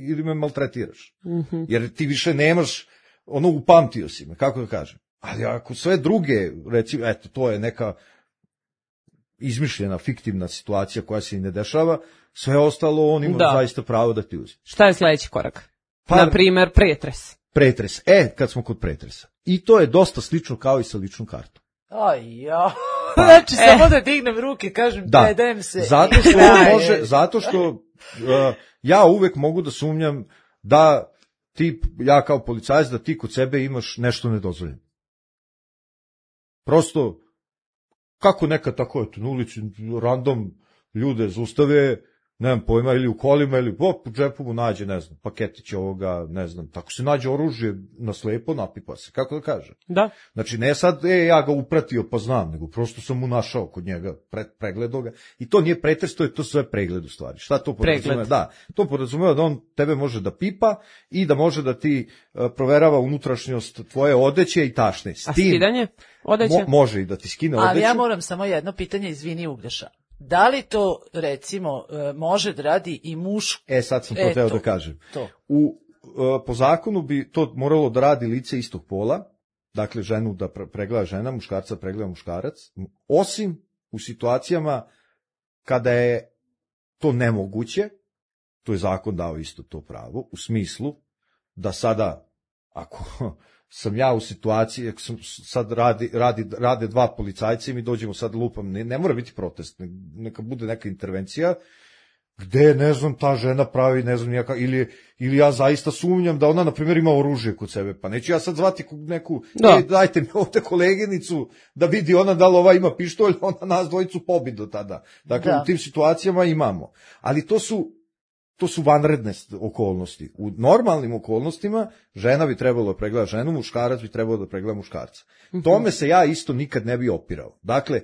ili me maltretiraš. Mm-hmm. Jer ti više nemaš, ono, upamtio si me, kako da kažem. Ali ako sve druge, recimo, eto, to je neka izmišljena, fiktivna situacija koja se i ne dešava, sve ostalo on ima da. zaista pravo da ti uzme. Šta je sledeći korak? Pa, na primer, pretres. Pretres. E, kad smo kod pretresa. I to je dosta slično kao i sa ličnom kartom. Aj, ja. Pa, znači, e. samo da dignem ruke, kažem, da. predajem se. Zato što, može, zato što uh, ja uvek mogu da sumnjam da ti, ja kao policajac, da ti kod sebe imaš nešto nedozvoljeno. Prosto, kako nekad tako je, na ulici random ljude zaustave, nemam pojma, ili u kolima, ili op, u džepu mu nađe, ne znam, paketić ovoga, ne znam, tako se nađe oružje na slepo, napipa se, kako da kažem. Da. Znači, ne sad, e, ja ga upratio pa znam, nego prosto sam mu našao kod njega, pre, pregledao ga, i to nije pretres, to je to sve pregled u stvari. Šta to podrazumeva? Da, to podrazumeva da on tebe može da pipa i da može da ti uh, proverava unutrašnjost tvoje odeće i tašne. S A tim, skidanje odeće? Mo, može i da ti skine odeću. Ali ja moram samo jedno pitanje, izvini Uglješa. Da li to, recimo, može da radi i muško? E, sad sam to teo da kažem. To. U, po zakonu bi to moralo da radi lice istog pola, dakle ženu da pregleda žena, muškarca pregleda muškarac, osim u situacijama kada je to nemoguće, to je zakon dao isto to pravo, u smislu da sada, ako sam ja u situaciji, ako sam sad radi, radi, rade dva policajca i mi dođemo sad lupam, ne, ne mora biti protest, ne, neka bude neka intervencija, gde, ne znam, ta žena pravi, ne znam, nijaka, ili, ili ja zaista sumnjam da ona, na primjer, ima oružje kod sebe, pa neću ja sad zvati neku, da. e, dajte mi ovde koleginicu, da vidi ona da li ova ima pištolj, ona nas dvojicu pobiti do tada. Dakle, da. U tim situacijama imamo. Ali to su, To su vanredne okolnosti. U normalnim okolnostima žena bi trebalo da pregleda ženu, muškarac bi trebalo da pregleda muškarca. Mm-hmm. Tome se ja isto nikad ne bi opirao. Dakle,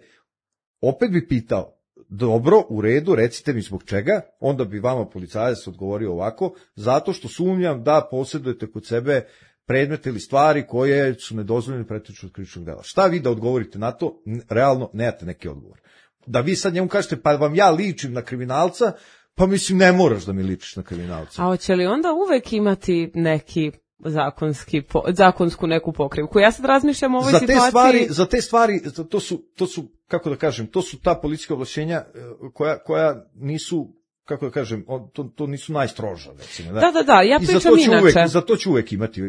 opet bi pitao, dobro, u redu, recite mi zbog čega, onda bi vama policajac odgovorio ovako, zato što sumnjam da posjedujete kod sebe predmete ili stvari koje su nedozvoljene pretiču od krivičnog dela. Šta vi da odgovorite na to? Realno, nemate neki odgovor. Da vi sad njemu kažete, pa vam ja ličim na kriminalca, pa mislim, ne moraš da mi ličiš na kriminalca. A hoće li onda uvek imati neki zakonski, po, zakonsku neku pokrivku? Ja sad razmišljam o ovoj za situaciji... Te stvari, za te stvari, to su, to su, kako da kažem, to su ta policijska ovlašćenja koja, koja nisu, kako da kažem, to, to nisu najstroža, recimo. Da, da, da, da ja pričam I za inače. Uvek, za to ću uvek imati,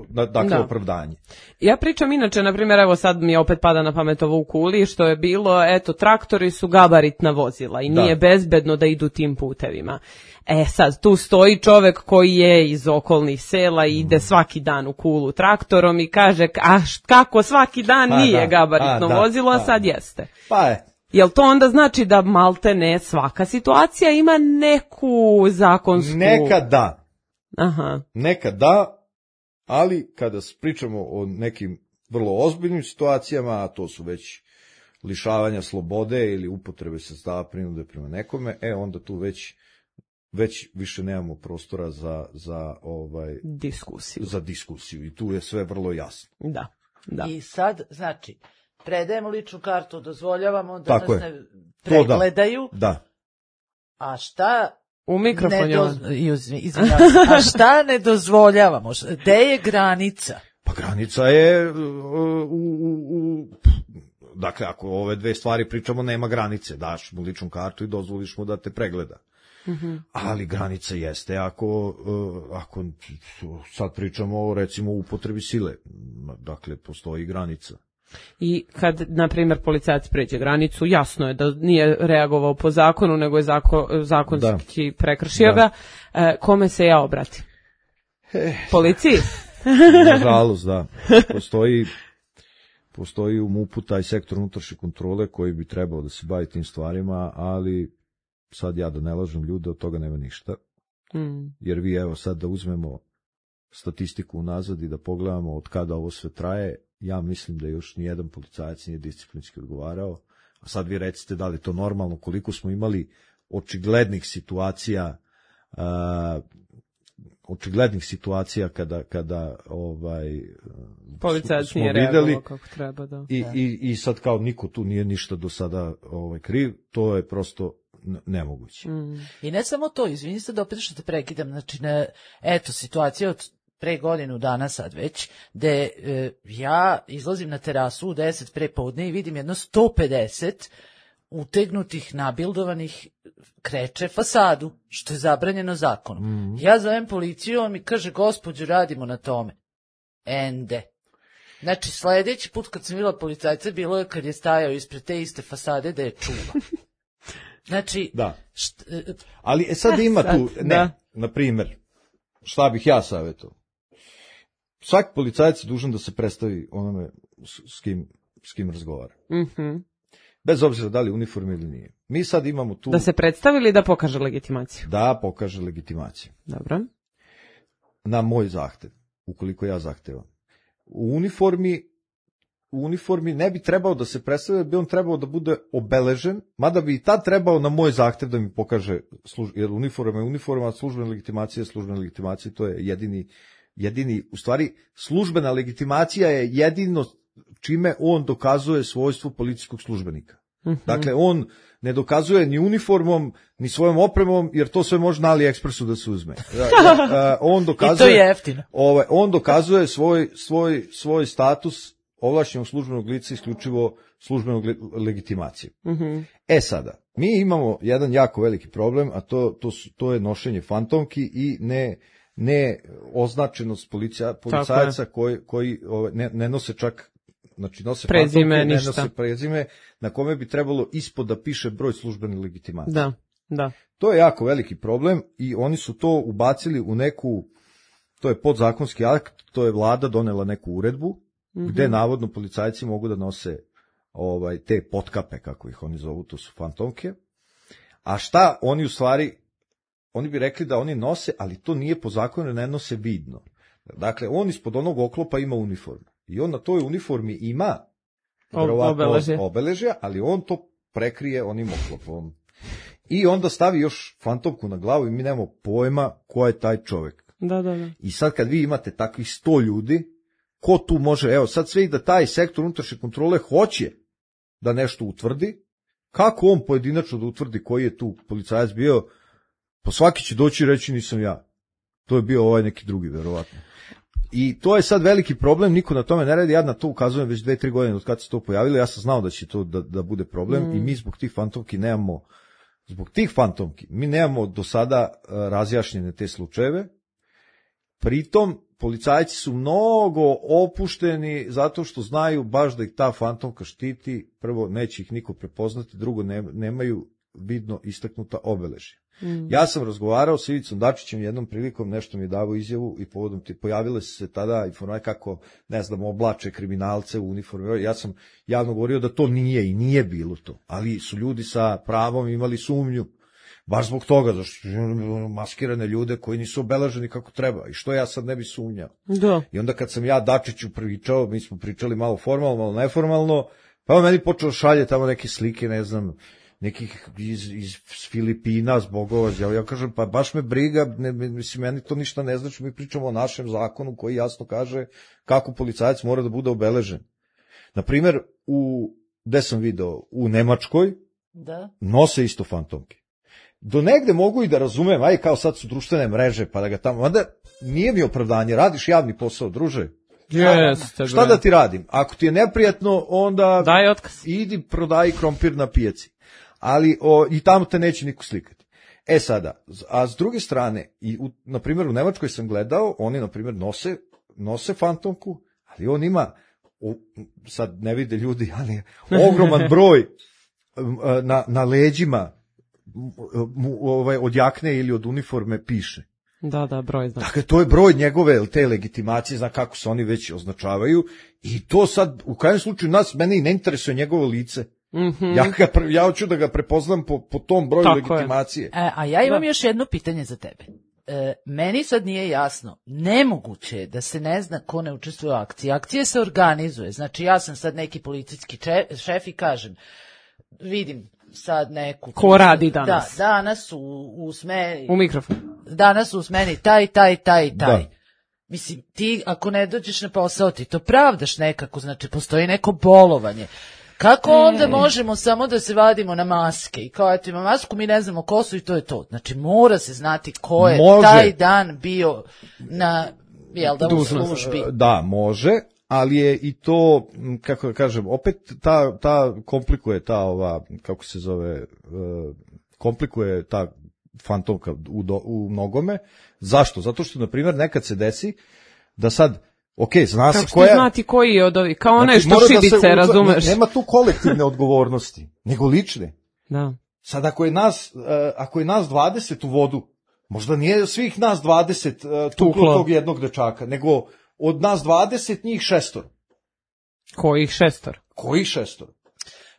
dakle, da. opravdanje. Ja pričam inače, na primjer, evo sad mi opet pada na pamet ovo u Kuli, što je bilo, eto, traktori su gabaritna vozila i nije da. bezbedno da idu tim putevima. E sad, tu stoji čovek koji je iz okolnih sela i ide svaki dan u Kulu traktorom i kaže, a kako svaki dan pa, nije da, gabaritno a, da, vozilo, a da, sad jeste. Pa je. Jel to onda znači da malte ne svaka situacija ima neku zakonsku... Nekad da. Aha. Nekad da, ali kada pričamo o nekim vrlo ozbiljnim situacijama, a to su već lišavanja slobode ili upotrebe sredstava prinude prema nekome, e onda tu već već više nemamo prostora za za ovaj diskusiju. Za diskusiju i tu je sve vrlo jasno. Da. Da. I sad, znači, predajemo ličnu kartu, dozvoljavamo da Tako nas je. ne pregledaju. Da. da. A šta... U mikrofon je doz... Izvinjam se. A šta ne dozvoljavamo? Gde je granica? Pa granica je u, u, u dakle, ako ove dve stvari pričamo, nema granice, daš mu ličnu kartu i dozvoliš mu da te pregleda. Mm-hmm. Ali granica jeste ako, ako sad pričamo o, recimo, upotrebi sile, dakle, postoji granica. I kad, na primjer, policajac pređe granicu, jasno je da nije reagovao po zakonu, nego je zako, zakonski da. prekršio da. ga, e, kome se ja obratim? Eh. Policiji? Nažalost, da. Postoji, postoji u MUP-u taj sektor unutrašnje kontrole koji bi trebao da se bavi tim stvarima, ali sad ja da ne lažem ljude, od toga nema ništa. Mm. Jer vi, evo, sad da uzmemo statistiku unazad i da pogledamo od kada ovo sve traje, ja mislim da još nijedan policajac nije disciplinski odgovarao, a sad vi recite da li je to normalno, koliko smo imali očiglednih situacija, uh, očiglednih situacija kada, kada ovaj, policajac nije reagovao kako treba, da. I, i, i sad kao niko tu nije ništa do sada ovaj, kriv, to je prosto nemoguće. Mm. I ne samo to, izvini se da opet što te prekidam, znači, ne, eto, situacija od pre godinu dana sad već, gde e, ja izlazim na terasu u deset pre podne i vidim jedno sto pedeset utegnutih, nabildovanih, kreće fasadu, što je zabranjeno zakonom. Mm. Ja zovem policiju, on mi kaže, gospođo, radimo na tome. Ende. Znači, sledeći put kad sam vidjela policajca, bilo je kad je stajao ispred te iste fasade da je čuva. Znači, da. Št, ali e, sad ima sad, tu, ne, da. Na primjer, šta bih ja savjetovao? Svaki policajac je dužan da se predstavi onome s kim, s kim razgovara. Mm-hmm. Bez obzira da li uniforme ili nije. Mi sad imamo tu... Da se predstavi ili da pokaže legitimaciju? Da, pokaže legitimaciju. Dobro. Na moj zahtev, ukoliko ja zahtevam. U uniformi, u uniformi ne bi trebao da se predstavi, bi on trebao da bude obeležen, mada bi i tad trebao na moj zahtev da mi pokaže, služ, jer uniforma je uniforma, službena legitimacija je službena legitimacija, to je jedini, jedini, u stvari, službena legitimacija je jedino čime on dokazuje svojstvo policijskog službenika. Mm-hmm. Dakle, on ne dokazuje ni uniformom, ni svojom opremom, jer to sve može na AliExpressu da se uzme. on dokazuje, I to je jeftino. Ovaj, on dokazuje svoj, svoj, svoj status ovlašćenog službenog lica isključivo službenog legitimacije. Mm-hmm. E sada, mi imamo jedan jako veliki problem, a to, to, su, to je nošenje fantomki i ne, ne označenost policija, policajaca koji, koji ovaj, ne, ne nose čak, znači nose prezime, fantomke, ništa. Ne nose prezime, na kome bi trebalo ispod da piše broj službene legitimacije. Da, da. To je jako veliki problem i oni su to ubacili u neku, to je podzakonski akt, to je vlada donela neku uredbu, mm-hmm. gde navodno policajci mogu da nose ovaj, te potkape, kako ih oni zovu, to su fantomke. A šta oni u stvari, oni bi rekli da oni nose, ali to nije po zakonu, ne nose vidno. Dakle, on ispod onog oklopa ima uniformu. I on na toj uniformi ima obeležje. obeležja, ali on to prekrije onim oklopom. I onda stavi još fantomku na glavu i mi nemamo pojma ko je taj čovjek. Da, da, da. I sad kad vi imate takvih sto ljudi, ko tu može, evo sad sve i da taj sektor unutrašnje kontrole hoće da nešto utvrdi, kako on pojedinačno da utvrdi koji je tu policajac bio, pa svaki će doći i reći nisam ja. To je bio ovaj neki drugi, verovatno. I to je sad veliki problem, niko na tome ne radi, ja na to ukazujem već dve, tri godine od kad se to pojavilo, ja sam znao da će to da, da bude problem mm. i mi zbog tih fantomki nemamo, zbog tih fantomki, mi nemamo do sada uh, razjašnjene te slučajeve, pritom policajci su mnogo opušteni zato što znaju baš da ih ta fantomka štiti, prvo neće ih niko prepoznati, drugo ne, nemaju vidno istaknuta obeležja. Mm. Ja sam razgovarao s Ivicom Dačićem jednom prilikom, nešto mi je davao izjavu i povodom ti pojavile su se tada informacije kako, ne znam, oblače kriminalce u uniformi. Ja sam javno govorio da to nije i nije bilo to, ali su ljudi sa pravom imali sumnju. Baš zbog toga, zašto maskirane ljude koji nisu obeleženi kako treba. I što ja sad ne bi sumnjao? Da. I onda kad sam ja Dačiću pričao, mi smo pričali malo formalno, malo neformalno, pa on meni počeo šalje tamo neke slike, ne znam, nekih iz, iz Filipina zbogova. Ja, ja kažem, pa baš me briga, ne, mislim, meni to ništa ne znači, mi pričamo o našem zakonu koji jasno kaže kako policajac mora da bude obeležen. Naprimjer, u, gde sam video, u Nemačkoj da. Nose isto fantomke. Do negde mogu i da razumem, aj kao sad su društvene mreže, pa da ga tamo, onda nije mi opravdanje, radiš javni posao, druže, Jeste, Šta da ti radim? Ako ti je neprijatno, onda daj otkaz. Idi prodaj krompir na pijaci. Ali o, i tamo te neće niko slikati. E sada, a s druge strane, i u, na primjer u Nemačkoj sam gledao, oni na primjer nose, nose fantomku, ali on ima, u, sad ne vide ljudi, ali ogroman broj na, na leđima mu, ovaj, od jakne ili od uniforme piše. Da, da, broj znači. Dakle, to je broj njegove te legitimacije, zna kako se oni već označavaju, i to sad, u krajnjem slučaju nas, mene i ne interesuje njegovo lice. Mm-hmm. Ja, ga, ja hoću da ga prepoznam po, po tom broju tako legitimacije. E, a ja imam da. još jedno pitanje za tebe. E, meni sad nije jasno, nemoguće je da se ne zna ko ne učestvuje u akciji. Akcija se organizuje, znači ja sam sad neki policijski šef i kažem, vidim sad neku... Ko radi danas? Da, danas u, u smeni... U mikrofon. Danas u smeni taj, taj, taj, taj. Da. Mislim, ti ako ne dođeš na posao, ti to pravdaš nekako, znači postoji neko bolovanje. Kako onda možemo samo da se vadimo na maske i kao eto ima masku, mi ne znamo ko su i to je to. Znači mora se znati ko je može. Taj dan bio na, jel da, u službi. Da, može, ali je i to, kako da kažem, opet ta, ta komplikuje ta ova, kako se zove, komplikuje ta fantomka u, do, u mnogome. Zašto? Zato što, na primjer, nekad se desi da sad ok, zna se koja... Kako što znati koji je od ovih, kao onaj znači, što šibice, da razumeš? Nema tu kolektivne odgovornosti, nego lične. Da. Sad, ako je nas, uh, ako je nas dvadeset u vodu, možda nije svih nas dvadeset uh, tuklo tog jednog dečaka, nego od nas dvadeset njih šestor. Kojih šestor? Kojih šestor?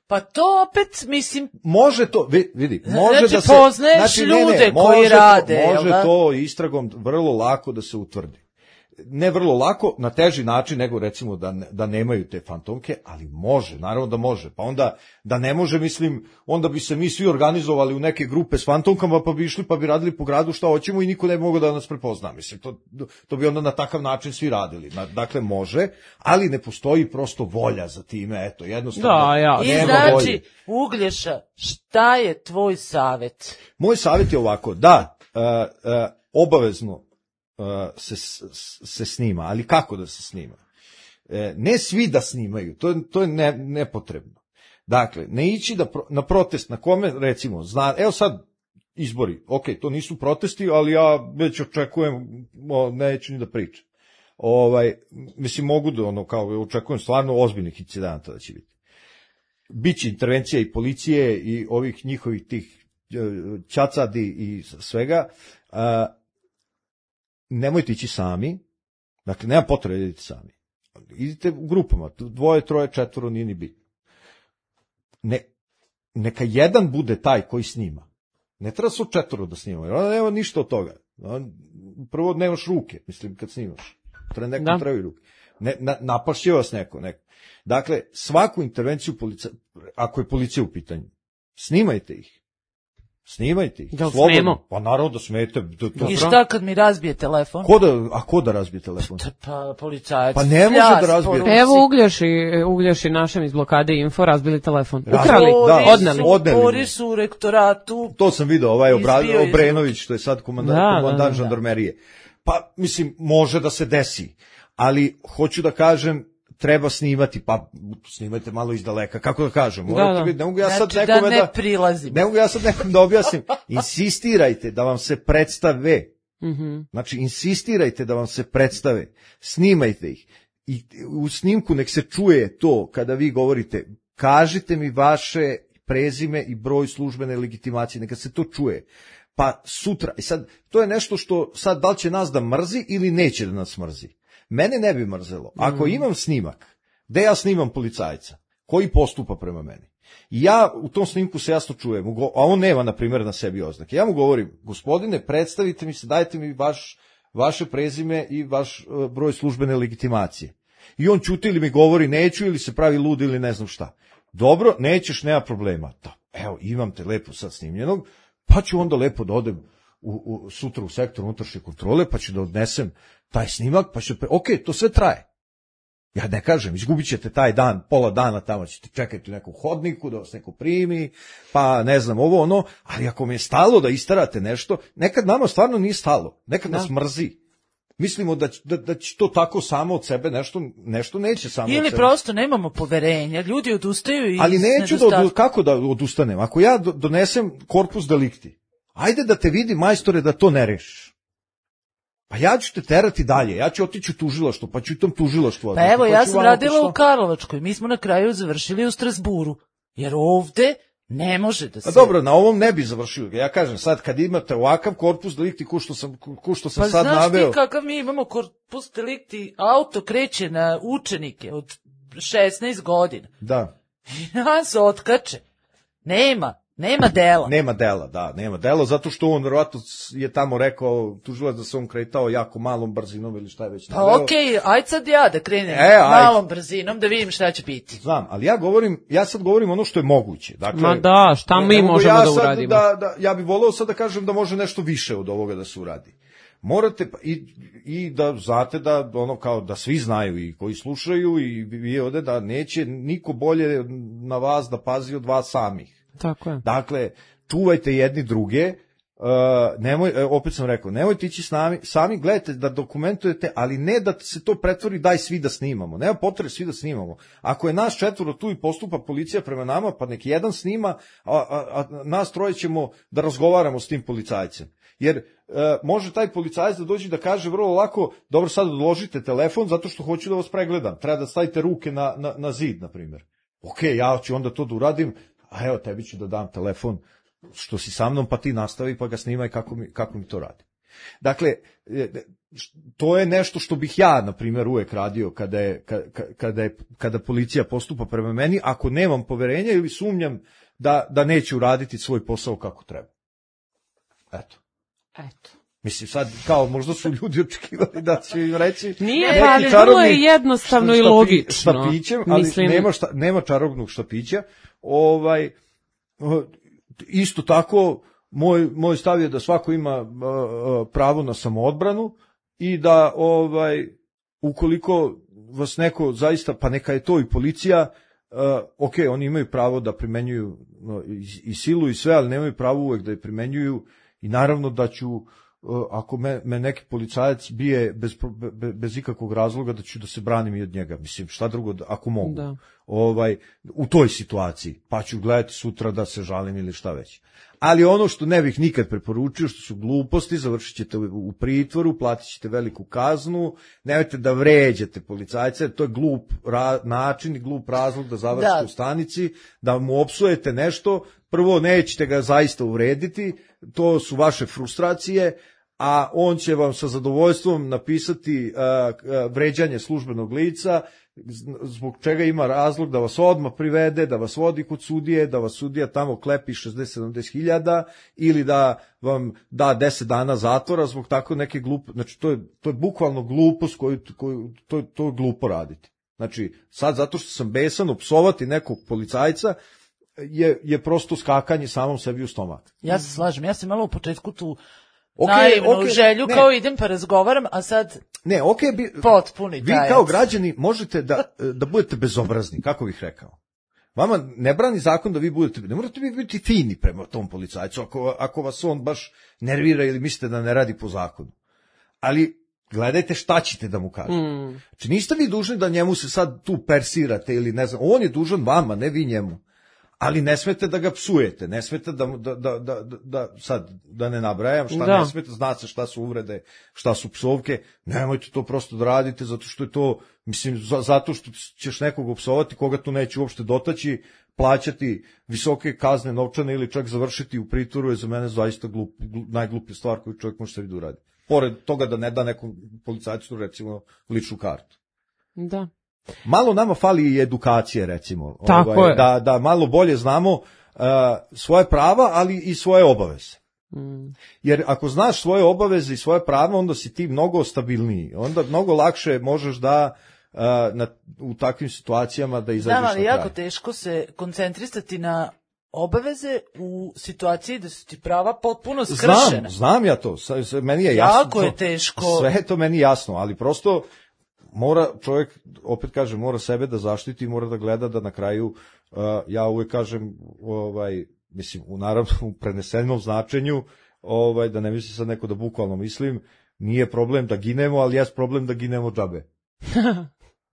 Pa to opet, mislim... Može to, vidi, može znači, da se... poznaješ znači, ljude ne, ne, koji može rade, to, može da? to istragom vrlo lako da se utvrdi. Ne vrlo lako, na teži način nego recimo da, ne, da nemaju te fantomke, ali može, naravno da može. Pa onda da ne može, mislim, onda bi se mi svi organizovali u neke grupe s fantomkama pa bi išli pa bi radili po gradu šta hoćemo i niko ne bi mogao da nas prepozna. Mislim, to, to bi onda na takav način svi radili. Dakle, može, ali ne postoji prosto volja za time, eto, jednostavno. Da, ja. I znači, volje. Uglješa, šta je tvoj savjet? Moj savjet je ovako, da, uh, uh, obavezno Se, se snima, ali kako da se snima? E, ne svi da snimaju, to je, to je ne, nepotrebno. Dakle, ne ići da pro, na protest na kome, recimo, zna, evo sad izbori, ok, to nisu protesti, ali ja već očekujem, o, neću ni da pričam. Ovaj, mislim, mogu da, ono, kao, očekujem stvarno ozbiljnih incidenata da će biti. Biće intervencija i policije i ovih njihovih tih ćacadi i svega, a, nemojte ići sami, dakle, nema potrebe da idete sami. Idite u grupama, dvoje, troje, četvoro, nije ni bitno. Ne, neka jedan bude taj koji snima. Ne treba su četvoro da snima, jer onda nema ništa od toga. Prvo nemaš ruke, mislim, kad snimaš. Treba neko da. Trebaju ruke. Ne, na, napašće vas neko, neko. Dakle, svaku intervenciju, polica, ako je policija u pitanju, snimajte ih. Snimajte ih. Da smemo? Pa naravno da smete. Da, to I šta kad mi razbije telefon? Ko da, a ko da razbije telefon? Pa policajac. Pa ne može da razbije. Evo Uglješi, Uglješi našem iz blokade Info razbili telefon. Ukrali, da, odneli. Odneli. Boris u rektoratu. To sam video, ovaj Obra, Obrenović, što je sad komandant, da, komandant da, da, žandarmerije. Pa, mislim, može da se desi. Ali, hoću da kažem, treba snimati, pa snimajte malo iz daleka, kako da kažem, morate da, da. Biti, ne mogu ja sad znači, nekome da ne prilazim. Ne mogu ja sad nekom da objasnim, insistirajte da vam se predstave, mm-hmm. znači insistirajte da vam se predstave, snimajte ih i u snimku nek se čuje to kada vi govorite, kažite mi vaše prezime i broj službene legitimacije, neka se to čuje. Pa sutra, i sad, to je nešto što sad da li će nas da mrzi ili neće da nas mrzi. Mene ne bi mrzelo. Ako imam snimak, gde ja snimam policajca, koji postupa prema meni, i ja u tom snimku se jasno čujem, a on nema, na primjer, na sebi oznake. Ja mu govorim, gospodine, predstavite mi se, dajte mi vaš, vaše prezime i vaš uh, broj službene legitimacije. I on ćuti ili mi govori neću, ili se pravi lud, ili ne znam šta. Dobro, nećeš, nema problema. Da, evo, imam te lepo sad snimljenog, pa ću onda lepo da odem u, u, sutra u sektor unutrašnje kontrole, pa ću da odnesem taj snimak, pa ću, ok, to sve traje. Ja ne kažem, izgubit ćete taj dan, pola dana tamo ćete čekati u nekom hodniku, da vas neko primi, pa ne znam ovo ono, ali ako mi je stalo da istarate nešto, nekad nama stvarno nije stalo, nekad da. Nas mrzi. mislimo da, da, da će to tako samo od sebe, nešto, nešto neće samo Ili od sebe. prosto nemamo poverenja, ljudi odustaju i... Ali neću da, odu, kako da odustanem? Ako ja donesem korpus delikti, ajde da te vidi, majstore, da to ne rešiš. Pa ja ću te terati dalje, ja ću otići u tužilaštvo, pa ću i tom tužilaštvu. Pa evo, pa ja ću sam vamo radila to u Karlovačkoj, mi smo na kraju završili u Strasburu, jer ovde ne može da se... Pa dobro, na ovom ne bi završio. Ja kažem, sad kad imate ovakav korpus delikti, ko što sam, ko što sam pa sad naveo... Pa znaš ti kakav mi imamo korpus delikti, auto kreće na učenike od šesnaest godina. Da. I nas otkače. Nema. Nema dela. Nema dela, da, nema dela, zato što on verovatno je tamo rekao, tužilac da se on kretao jako malom brzinom ili šta je već naveo. Pa okej, okay, ajde sad ja da krenem e, malom brzinom da vidim šta će biti. Znam, ali ja govorim, ja sad govorim ono što je moguće. Dakle, ma da, šta mi možemo ja da uradimo? Da, da, ja bih voleo sad da kažem da može nešto više od ovoga da se uradi. Morate, i, i da znate da ono kao da svi znaju i koji slušaju i vi ovde da neće niko bolje na vas da pazi od vas samih. Tako je. Dakle, čuvajte jedni druge, uh, nemoj, opet sam rekao, nemojte ići s nami, sami gledajte da dokumentujete, ali ne da se to pretvori daj svi da snimamo, nema potrebe svi da snimamo. Ako je nas četvoro tu i postupa policija prema nama, pa nek jedan snima, a, a, a nas troje ćemo da razgovaramo s tim policajcem. Jer uh, može taj policajac da dođe da kaže vrlo lako, dobro sad odložite telefon zato što hoću da vas pregledam, treba da stavite ruke na, na, na zid, na primjer. Ok, ja ću onda to da uradim, a evo tebi ću da dam telefon što si sa mnom, pa ti nastavi pa ga snimaj kako mi, kako mi to radi. Dakle, to je nešto što bih ja, na primjer, uvek radio kada, je, kada, je, kada policija postupa prema meni, ako nemam poverenja ili sumnjam da, da neće uraditi svoj posao kako treba. Eto. Eto. Mislim, sad, kao, možda su ljudi očekivali da će im reći... Nije, ali vrlo je jednostavno i logično. Štapićem, ali Mislim... nema, šta, nema čarobnog štapića. Ovaj, isto tako, moj, moj stav je da svako ima uh, pravo na samoodbranu i da, ovaj, ukoliko vas neko zaista, pa neka je to i policija, uh, ok, oni imaju pravo da primenjuju uh, i, i silu i sve, ali nemaju pravo uvek da je primenjuju i naravno da ću ako me, me neki policajac bije bez, be, bez ikakvog razloga da ću da se branim i od njega. Mislim, šta drugo, ako mogu. Da. Ovaj, u toj situaciji. Pa ću gledati sutra da se žalim ili šta već. Ali ono što ne bih nikad preporučio, što su gluposti, završit ćete u pritvoru, platit ćete veliku kaznu, nemojte da vređate policajce, to je glup ra, način i glup razlog da završite da. u stanici, da mu opsujete nešto, prvo nećete ga zaista uvrediti, to su vaše frustracije, a on će vam sa zadovoljstvom napisati uh, uh, vređanje službenog lica, zbog čega ima razlog da vas odmah privede, da vas vodi kod sudije, da vas sudija tamo klepi šezdeset sedamdeset hiljada ili da vam da deset dana zatvora zbog tako neke glupe, znači to je, to je bukvalno glupost koju, koju to, to je glupo raditi. Znači, sad zato što sam besan, opsovati nekog policajca je, je prosto skakanje samom sebi u stomak. Ja se slažem, ja sam malo u početku tu okay, naivnu okay, želju, ne. kao idem pa razgovaram, a sad ne, okay, bi, potpuni vi tajac. Kao građani možete da, da budete bezobrazni, kako bih rekao. Vama ne brani zakon da vi budete, ne morate vi biti fini prema tom policajcu, ako, ako vas on baš nervira ili mislite da ne radi po zakonu. Ali gledajte šta ćete da mu kažete. Mm. Znači niste vi dužni da njemu se sad tu persirate ili ne znam, on je dužan vama, ne vi njemu. Ali ne smete da ga psujete, ne smete da, da, da, da, da sad da ne nabrajam šta da. ne smete, zna se šta su uvrede, šta su psovke, nemojte to prosto da radite zato što je to, mislim, zato što ćeš nekog opsovati koga tu neće uopšte dotaći, plaćati visoke kazne novčane ili čak završiti u pritvoru je za mene zaista glup, glup, najgluplja stvar koju čovjek može sebi da uradi. Pored toga da ne da nekom policajcu recimo ličnu kartu. Da. Malo nama fali i edukacije, recimo. Tako ovaj, je. Da, da malo bolje znamo uh, svoje prava, ali i svoje obaveze. Mm. Jer ako znaš svoje obaveze i svoje prava, onda si ti mnogo stabilniji. Onda mnogo lakše možeš da uh, na, u takvim situacijama da izađeš na kraj. Da, ali jako teško se koncentrisati na obaveze u situaciji da su ti prava potpuno skršena. Znam, znam ja to. Meni je jasno. Jako je teško. Sve je to meni jasno, ali prosto mora čovjek, opet kažem, mora sebe da zaštiti, mora da gleda da na kraju, uh, ja uvijek kažem, ovaj, mislim, u naravno u prenesenom značenju, ovaj, da ne misli sad neko da bukvalno mislim, nije problem da ginemo, ali jes problem da ginemo džabe.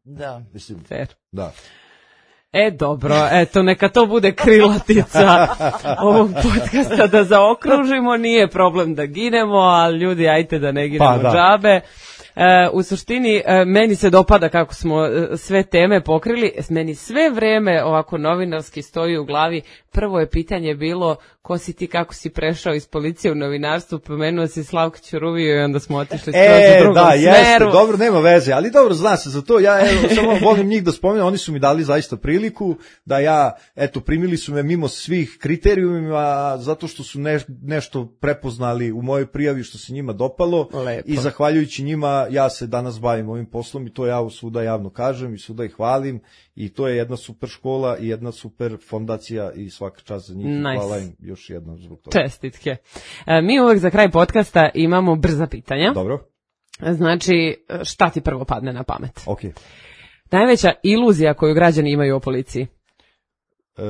Da. Mislim, Fair. da. E, dobro, eto, neka to bude krilatica ovog podcasta da zaokružimo, nije problem da ginemo, ali ljudi, ajte da ne ginemo Pa, da. džabe. E, u suštini, e, meni se dopada kako smo e, sve teme pokrili, meni sve vreme ovako novinarski stoji u glavi. Prvo je pitanje bilo ko si ti, kako si prešao iz policije u novinarstvo, pomenuo si Slavka Ćuruviju i onda smo otišli skroz E, u drugom da, smeru. jeste, dobro, nema veze, ali dobro, zna se za to, ja evo, samo volim njih da spomenem, oni su mi dali zaista priliku da ja, eto, primili su me mimo svih kriterijuma, zato što su neš, nešto prepoznali u mojoj prijavi što se njima dopalo. Lepo. I zahvaljujući njima ja se danas bavim ovim poslom i to ja svuda javno kažem i svuda ih hvalim i to je jedna super škola i jedna super fondacija i svaka čast za njih. Nice. Hvala im još jednom zbog toga. Čestitke. E, mi uvek za kraj podcasta imamo brza pitanja. Dobro, Znači, šta ti prvo padne na pamet? ok. Najveća iluzija koju građani imaju o policiji? E,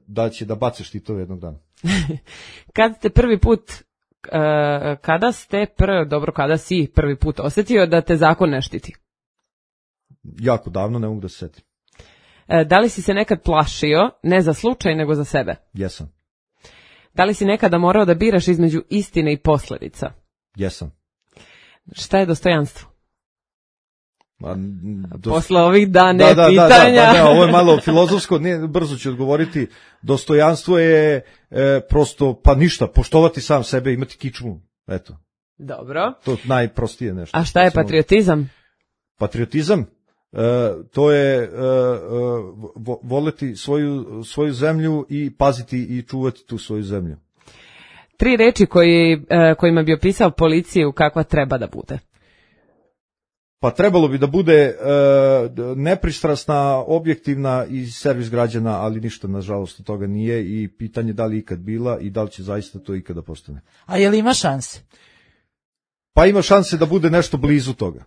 da će da baciš ti to jednog dana. Kad ste prvi put, e, kada ste, prvo, dobro, kada si prvi put osjetio da te zakon ne štiti? Jako davno, ne mogu da se setim. E, da li si se nekad plašio, ne za slučaj, nego za sebe? Jesam, Da li si nekada morao da biraš između istine i posledica? jesam. Šta je dostojanstvo? A, do... Posle ovih dana da, da, pitanja. Da, da, da, ne, ovo je malo filozofsko, ne, brzo ću odgovoriti. Dostojanstvo je e, prosto, pa ništa, poštovati sam sebe, imati kičmu, eto. Dobro. To je najprostije nešto. A šta je patriotizam? Patriotizam, e, to je e, e, vo, voleti svoju, svoju zemlju i paziti i čuvati tu svoju zemlju. Tri reči koji, e, kojima bi opisao policiju kakva treba da bude. Pa trebalo bi da bude e, nepristrasna, objektivna i servis građana, ali ništa nažalost od toga nije i pitanje da li ikad bila i da li će zaista to ikada postane. A je li ima šanse? Pa ima šanse da bude nešto blizu toga.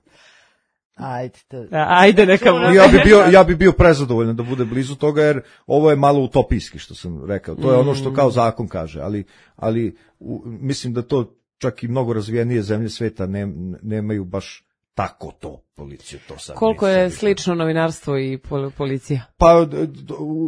Ajde. To... Ajde, neka bude. Ja bi bio, ja bi bio prezadovoljan da bude blizu toga, jer ovo je malo utopijski što sam rekao. To je ono što kao zakon kaže, ali, ali u, mislim da to čak i mnogo razvijenije zemlje sveta ne, nemaju baš tako to policiju. To sad Koliko mislim, je slično novinarstvo i pol- policija? Pa do,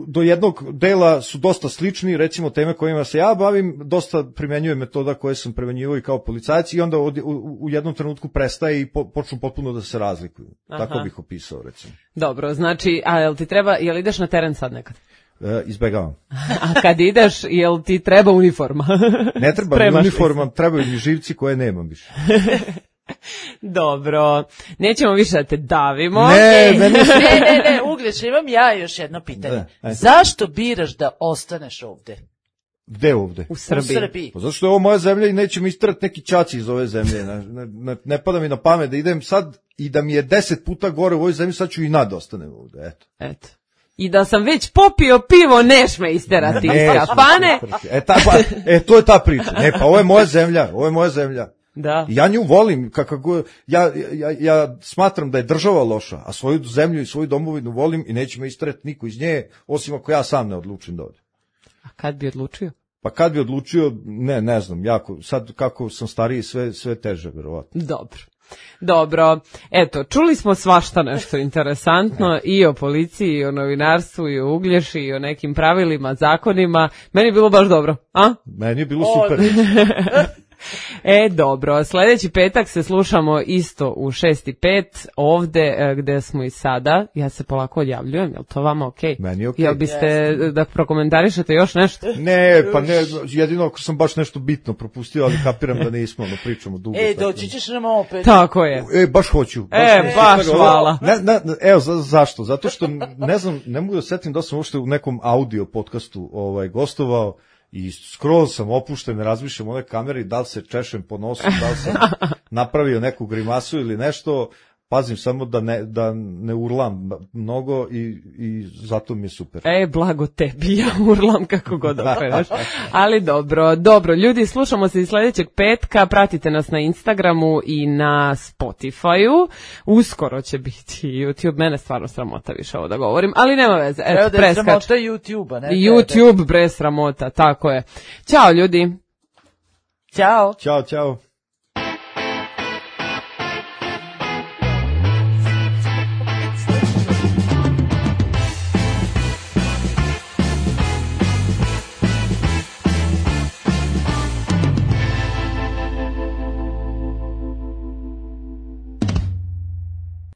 do jednog dela su dosta slični, recimo teme kojima se ja bavim, dosta primenjujem metoda koje sam primenjivao i kao policajac i onda od, u, u jednom trenutku prestaje i po, počnu potpuno da se razlikuju. Aha. Tako bih opisao, recimo. Dobro, znači, a jel ti treba, jel ideš na teren sad nekad? E, izbegavam. A kad ideš, jel ti treba uniforma? Ne treba mi uniforma, trebaju mi živci koje nemam više. Dobro, nećemo više da te davimo. Ne, E, meni ne, ne, ne, Uglječ, imam ja još jedno pitanje. Ne, ajde. Zašto biraš da ostaneš ovde? Gde ovde? U Srbiji. U Srbiji. Pa zato što je ovo moja zemlja i neće mi istrati neki čaci iz ove zemlje. Ne, ne, ne pada mi na pamet da idem sad i da mi je deset puta gore u ovoj zemlji, sad ću i nad ostanem ovde, eto. Eto. I da sam već popio pivo, neš me isterati iz Neću, kafane. E, ta, pa, e, to je ta priča. Ne, pa ovo je moja zemlja, ovo je moja zemlja. Da. I ja nju volim, kako ja, ja, ja smatram da je država loša, a svoju zemlju i svoju domovinu volim i neće me istrati niko iz nje, osim ako ja sam ne odlučim da odem. A kad bi odlučio? Pa kad bi odlučio, ne, ne znam, jako, sad kako sam stariji, sve, sve teže, verovatno. Dobro. Dobro, eto, čuli smo svašta nešto interesantno i o policiji, i o novinarstvu, i o Uglješi, i o nekim pravilima, zakonima. Meni je bilo baš dobro, a? Meni je bilo super. E, dobro, sljedeći petak se slušamo isto u šest i pet, ovde gde smo i sada. Ja se polako odjavljujem, je li to vama okej? Okay? Meni je okej. Jel biste da prokomentarišete još nešto? Ne, pa ne, jedino ako sam baš nešto bitno propustio, ali kapiram da nismo, ono pričamo dugo. E, tako. doći ćeš nam opet. Tako je. E, baš hoću. Baš E, hoću. baš hvala. Ne, ne, evo, za, zašto? Zato što, ne znam, ne mogu da setim da sam uopšte u nekom audio podcastu ovaj, gostovao, i skroz sam opušten, razmišljam o ove kamere, da li se češem po nosu, da li sam napravio neku grimasu ili nešto, pazim samo da ne, da ne urlam mnogo i, i zato mi je super. E, blago tebi, ja urlam kako god okreneš. Ali dobro, dobro, ljudi, slušamo se i sljedećeg petka, pratite nas na Instagramu i na Spotify-u, uskoro će biti YouTube, mene stvarno sramota više ovo da govorim, ali nema veze, eto, da je preskač. sramota YouTube-a, ne? YouTube, bre, sramota, tako je. Ćao, ljudi. Ćao. Ćao, ćao.